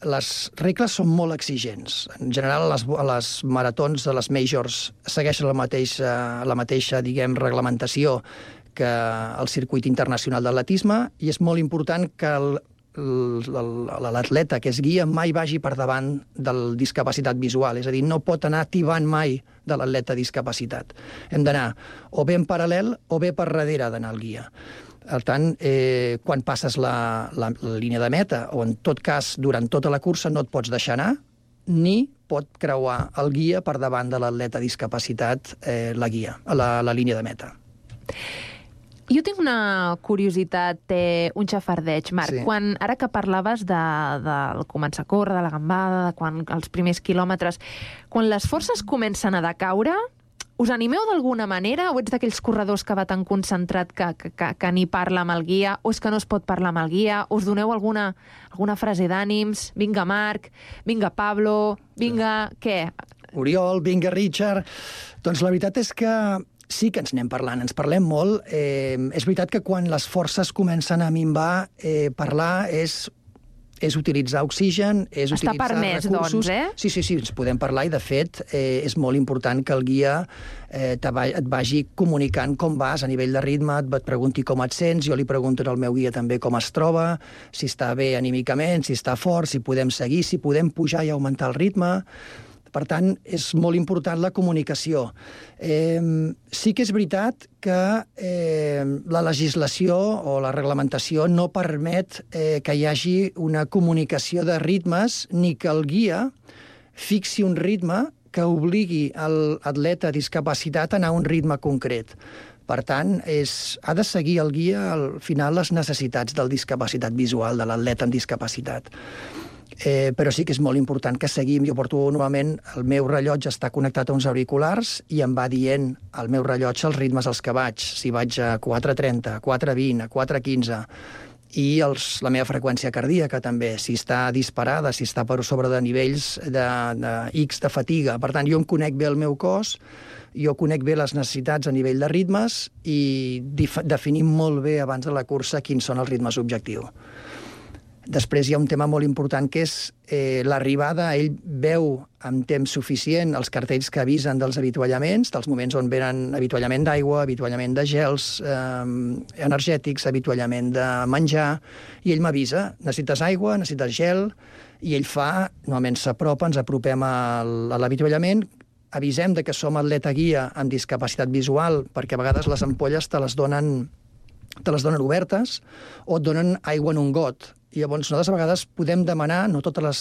Speaker 16: les regles són molt exigents. En general, les maratons de les majors segueixen la mateixa, diguem, reglamentació que el circuit internacional d'atletisme i és molt important que l'atleta que es guia mai vagi per davant del discapacitat visual, és a dir, no pot anar tibant mai de l'atleta discapacitat. Hem d'anar o bé en paral·lel o bé per darrere d'anar al guia. Per tant, quan passes la línia de meta, o en tot cas, durant tota la cursa, no et pots deixar anar, ni pot creuar el guia per davant de l'atleta discapacitat la línia de meta. Jo tinc una curiositat, un xafardeig, Marc. Sí. Ara que parlaves del començar a córrer, de la gambada, els primers quilòmetres, quan les forces comencen a decaure, us animeu d'alguna manera o ets d'aquells corredors que va tan concentrat que ni parla amb el guia, o és que no es pot parlar amb el guia, us doneu alguna frase d'ànims? Vinga, Marc, vinga, Pablo, vinga, què?
Speaker 17: Oriol, vinga, Richard... Doncs la veritat és que sí que ens anem parlant, ens parlem molt. És veritat que quan les forces comencen a minvar, parlar és utilitzar oxigen, és utilitzar recursos... Està permès, doncs, Sí, ens podem parlar i, de fet, és molt important que el guia et vagi comunicant com vas a nivell de ritme, et pregunti com et sents, jo li pregunto al meu guia també com es troba, si està bé anímicament, si està fort, si podem seguir, si podem pujar i augmentar el ritme... Per tant, és molt important la comunicació. Sí que és veritat que la legislació o la reglamentació no permet que hi hagi una comunicació de ritmes ni que el guia fixi un ritme que obligui l'atleta discapacitat a anar a un ritme concret. Per tant, ha de seguir el guia al final les necessitats del discapacitat visual, de l'atleta amb discapacitat. Però sí que és molt important que seguim. Jo porto normalment, el meu rellotge està connectat a uns auriculars i em va dient al meu rellotge els ritmes als que vaig. Si vaig a 4.30, a 4.20, a 4.15... i la meva freqüència cardíaca també, si està disparada, si està per sobre de nivells de X de fatiga. Per tant, jo em conec bé el meu cos, jo conec bé les necessitats a nivell de ritmes i definim molt bé abans de la cursa quins són els ritmes objectius. Després hi ha un tema molt important que és l'arribada. Ell veu amb temps suficient els cartells que avisen dels avituallaments, dels moments on venen avituallament d'aigua, avituallament de gels energètics, avituallament de menjar, i ell m'avisa, necessites aigua, necessites gel, i ell normalment s'apropa, ens apropem a l'avituallament, avisem que som atleta guia amb discapacitat visual, perquè a vegades les ampolles te les donen obertes o et donen aigua en un got. I llavors nosaltres a vegades podem demanar, no totes les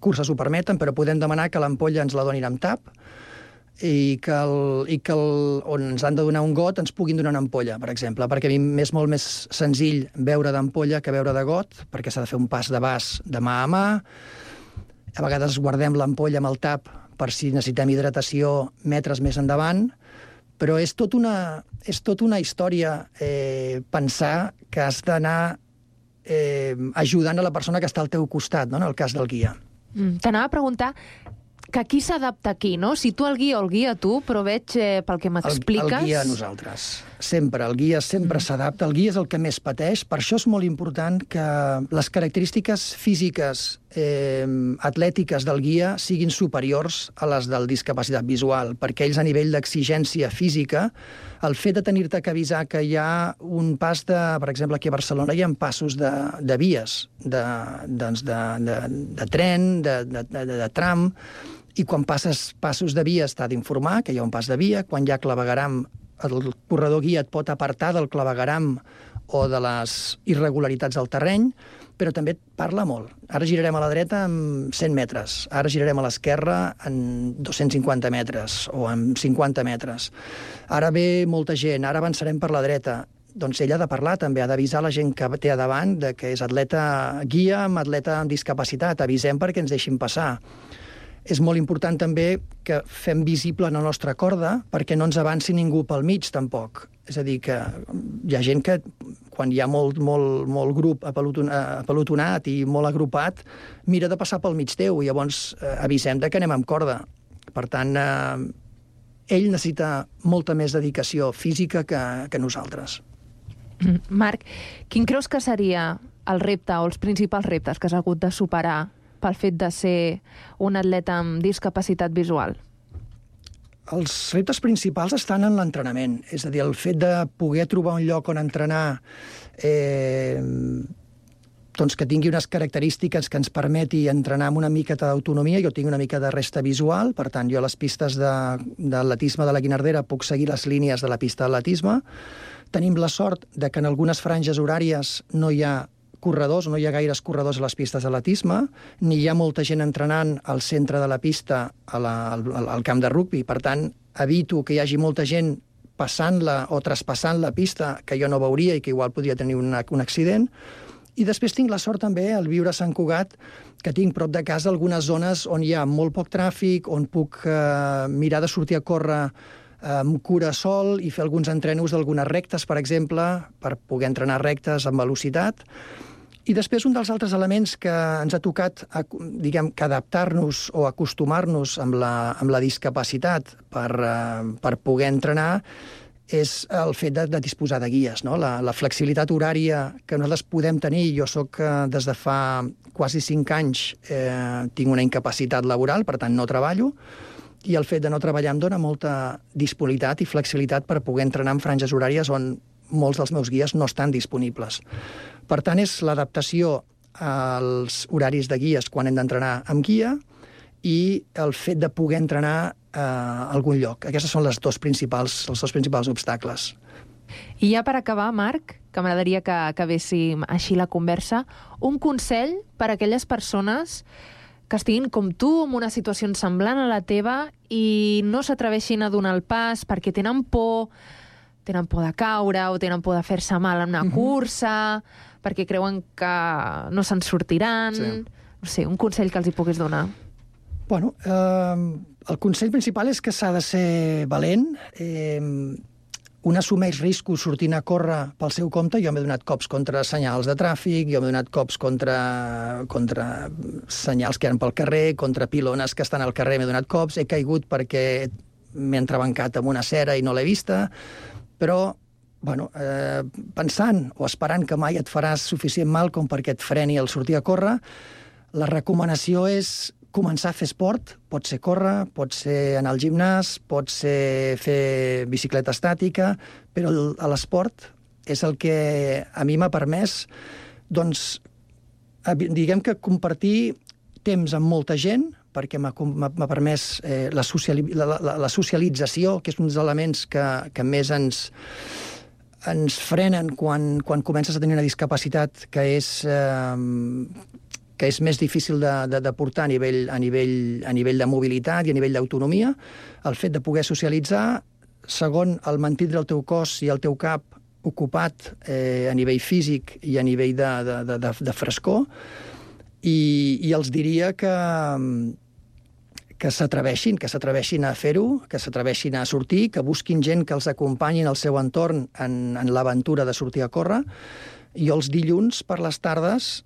Speaker 17: curses ho permeten, però podem demanar que l'ampolla ens la donin amb tap i que on ens han de donar un got ens puguin donar una ampolla, per exemple, perquè a mi m'és molt més senzill beure d'ampolla que beure de got, perquè s'ha de fer un pas de vas de mà a mà. A vegades guardem l'ampolla amb el tap per si necessitem hidratació metres més endavant, però és tot una història pensar que has d'anar ajudant a la persona que està al teu costat, no?, en el cas del guia.
Speaker 16: T'anava a preguntar que qui s'adapta aquí, no? Si tu el guia o el guia tu, però veig pel que m'expliques...
Speaker 17: El guia a nosaltres. sempre. El guia sempre s'adapta, el guia és el que més pateix. Per això és molt important que les característiques físiques, atlètiques del guia siguin superiors a les del discapacitat visual, perquè ells a nivell d'exigència física, el fet de tenir-te que avisar que hi ha un pas de... Per exemple, aquí a Barcelona hi ha passos de vies, de tren, de tram, i quan passes passos de vies t'ha d'informar que hi ha un pas de via, quan hi ha clavegueram, el corredor guia et pot apartar del clavegueram o de les irregularitats del terreny, però també parla molt. Ara girarem a la dreta en 100 metres, ara girarem a l'esquerra en 250 metres o en 50 metres. Ara ve molta gent, ara avançarem per la dreta. Doncs ell ha de parlar també, ha d'avisar la gent que té a davant que és atleta guia amb atleta amb discapacitat. Avisem perquè ens deixin passar. És molt important també que fem visible la nostra corda perquè no ens avanci ningú pel mig, tampoc. És a dir, que hi ha gent que, quan hi ha molt grup apelotonat i molt agrupat, mira de passar pel mig teu i llavors avisem que anem amb corda. Per tant, ell necessita molta més dedicació física que nosaltres.
Speaker 16: Marc, quin creus que seria el repte o els principals reptes que has hagut de superar pel fet de ser un atleta amb discapacitat visual?
Speaker 17: Els reptes principals estan en l'entrenament. És a dir, el fet de poder trobar un lloc on entrenar doncs que tingui unes característiques que ens permeti entrenar amb una mica d'autonomia. Jo tinc una mica de resta visual, per tant, jo a les pistes d'atletisme de la Guinardera puc seguir les línies de la pista d'atletisme. Tenim la sort de que en algunes franges horàries no hi ha corredors, no hi ha gaires corredors a les pistes d'atletisme, ni hi ha molta gent entrenant al centre de la pista al camp de rugbi. Per tant, evito que hi hagi molta gent passant-la o traspassant la pista que jo no veuria i que igual podria tenir un accident. I després tinc la sort també, al viure a Sant Cugat, que tinc prop de casa algunes zones on hi ha molt poc tràfic, on puc mirar de sortir a córrer amb cura sol i fer alguns entrenos d'algunes rectes, per exemple, per poder entrenar rectes amb velocitat. I després un dels altres elements que ens ha tocat, diguem, que adaptar-nos o acostumar-nos amb la discapacitat per poder entrenar és el fet de disposar de guies, no? La flexibilitat horària que nosaltres podem tenir. Jo soc, des de fa quasi 5 anys, tinc una incapacitat laboral, per tant no treballo, i el fet de no treballar em dona molta disponibilitat i flexibilitat per poder entrenar en franges horàries on molts dels meus guies no estan disponibles. Per tant, és l'adaptació als horaris de guies quan hem d'entrenar amb guia i el fet de poder entrenar a algun lloc. Aquests són els dos principals obstacles.
Speaker 16: I ja per acabar, Marc, que m'agradaria que acabéssim així la conversa, un consell per a aquelles persones que estiguin com tu, en una situació semblant a la teva, i no s'atreveixin a donar el pas perquè tenen por de caure o tenen por de fer-se mal en una cursa, perquè creuen que no se'n sortiran. Sí. No sé, un consell que els hi puguis donar.
Speaker 17: Bueno, el consell principal és que s'ha de ser valent. Un assumeix riscos sortint a córrer pel seu compte. Jo m'he donat cops contra senyals de tràfic, jo m'he donat cops contra senyals que eren pel carrer, contra pilones que estan al carrer, m'he donat cops, he caigut perquè m'he entrebancat amb una cera i no l'he vista, però bueno, pensant o esperant que mai et faràs suficient mal com perquè et freni el sortir a córrer, la recomanació és començar a fer esport. Pot ser córrer, pot ser anar al gimnàs, pot ser fer bicicleta estàtica, però l'esport és el que a mi m'ha permès, doncs, diguem que compartir temps amb molta gent, perquè m'ha permès la socialització, que és un dels elements que més ens frenen quan comences a tenir una discapacitat que és més difícil de portar a nivell de mobilitat i a nivell d'autonomia. El fet de poder socialitzar, segon, el mantindre el teu cos i el teu cap ocupat a nivell físic i a nivell de frescor, i els diria que s'atreveixin a fer-ho, que s'atreveixin a sortir, que busquin gent que els acompanyi en el seu entorn en l'aventura de sortir a córrer, Jo els dilluns per les tardes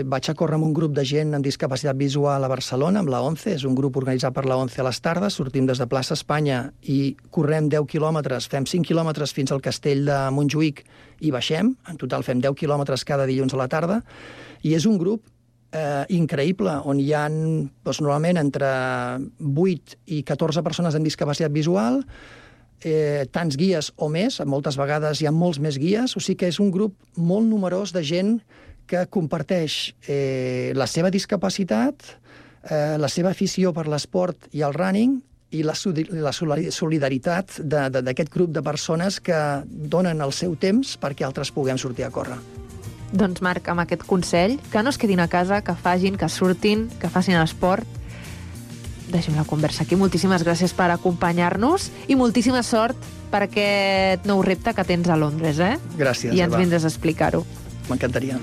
Speaker 17: vaig a córrer amb un grup de gent amb discapacitat visual a Barcelona, amb la ONCE, és un grup organitzat per la ONCE a les tardes, sortim des de plaça Espanya i correm 10 quilòmetres, fem 5 quilòmetres fins al castell de Montjuïc i baixem, en total fem 10 quilòmetres cada dilluns a la tarda, i és un grup increïble, on hi ha normalment entre 8 i 14 persones amb discapacitat visual, tants guies o més, moltes vegades hi ha molts més guies, o sigui que és un grup molt numerós de gent que comparteix la seva discapacitat, la seva afició per l'esport i el running, i la solidaritat d'aquest grup de persones que donen el seu temps perquè altres puguem sortir a córrer.
Speaker 16: Doncs Marc, amb aquest consell, que no es quedin a casa, que facin, que surtin, que facin esport. Deixem la conversa aquí. Moltíssimes gràcies per acompanyar-nos i moltíssima sort per aquest nou repte que tens a Londres, eh?
Speaker 17: Gràcies,
Speaker 16: I ens
Speaker 17: Eva.
Speaker 16: vindràs a explicar-ho.
Speaker 17: M'encantaria.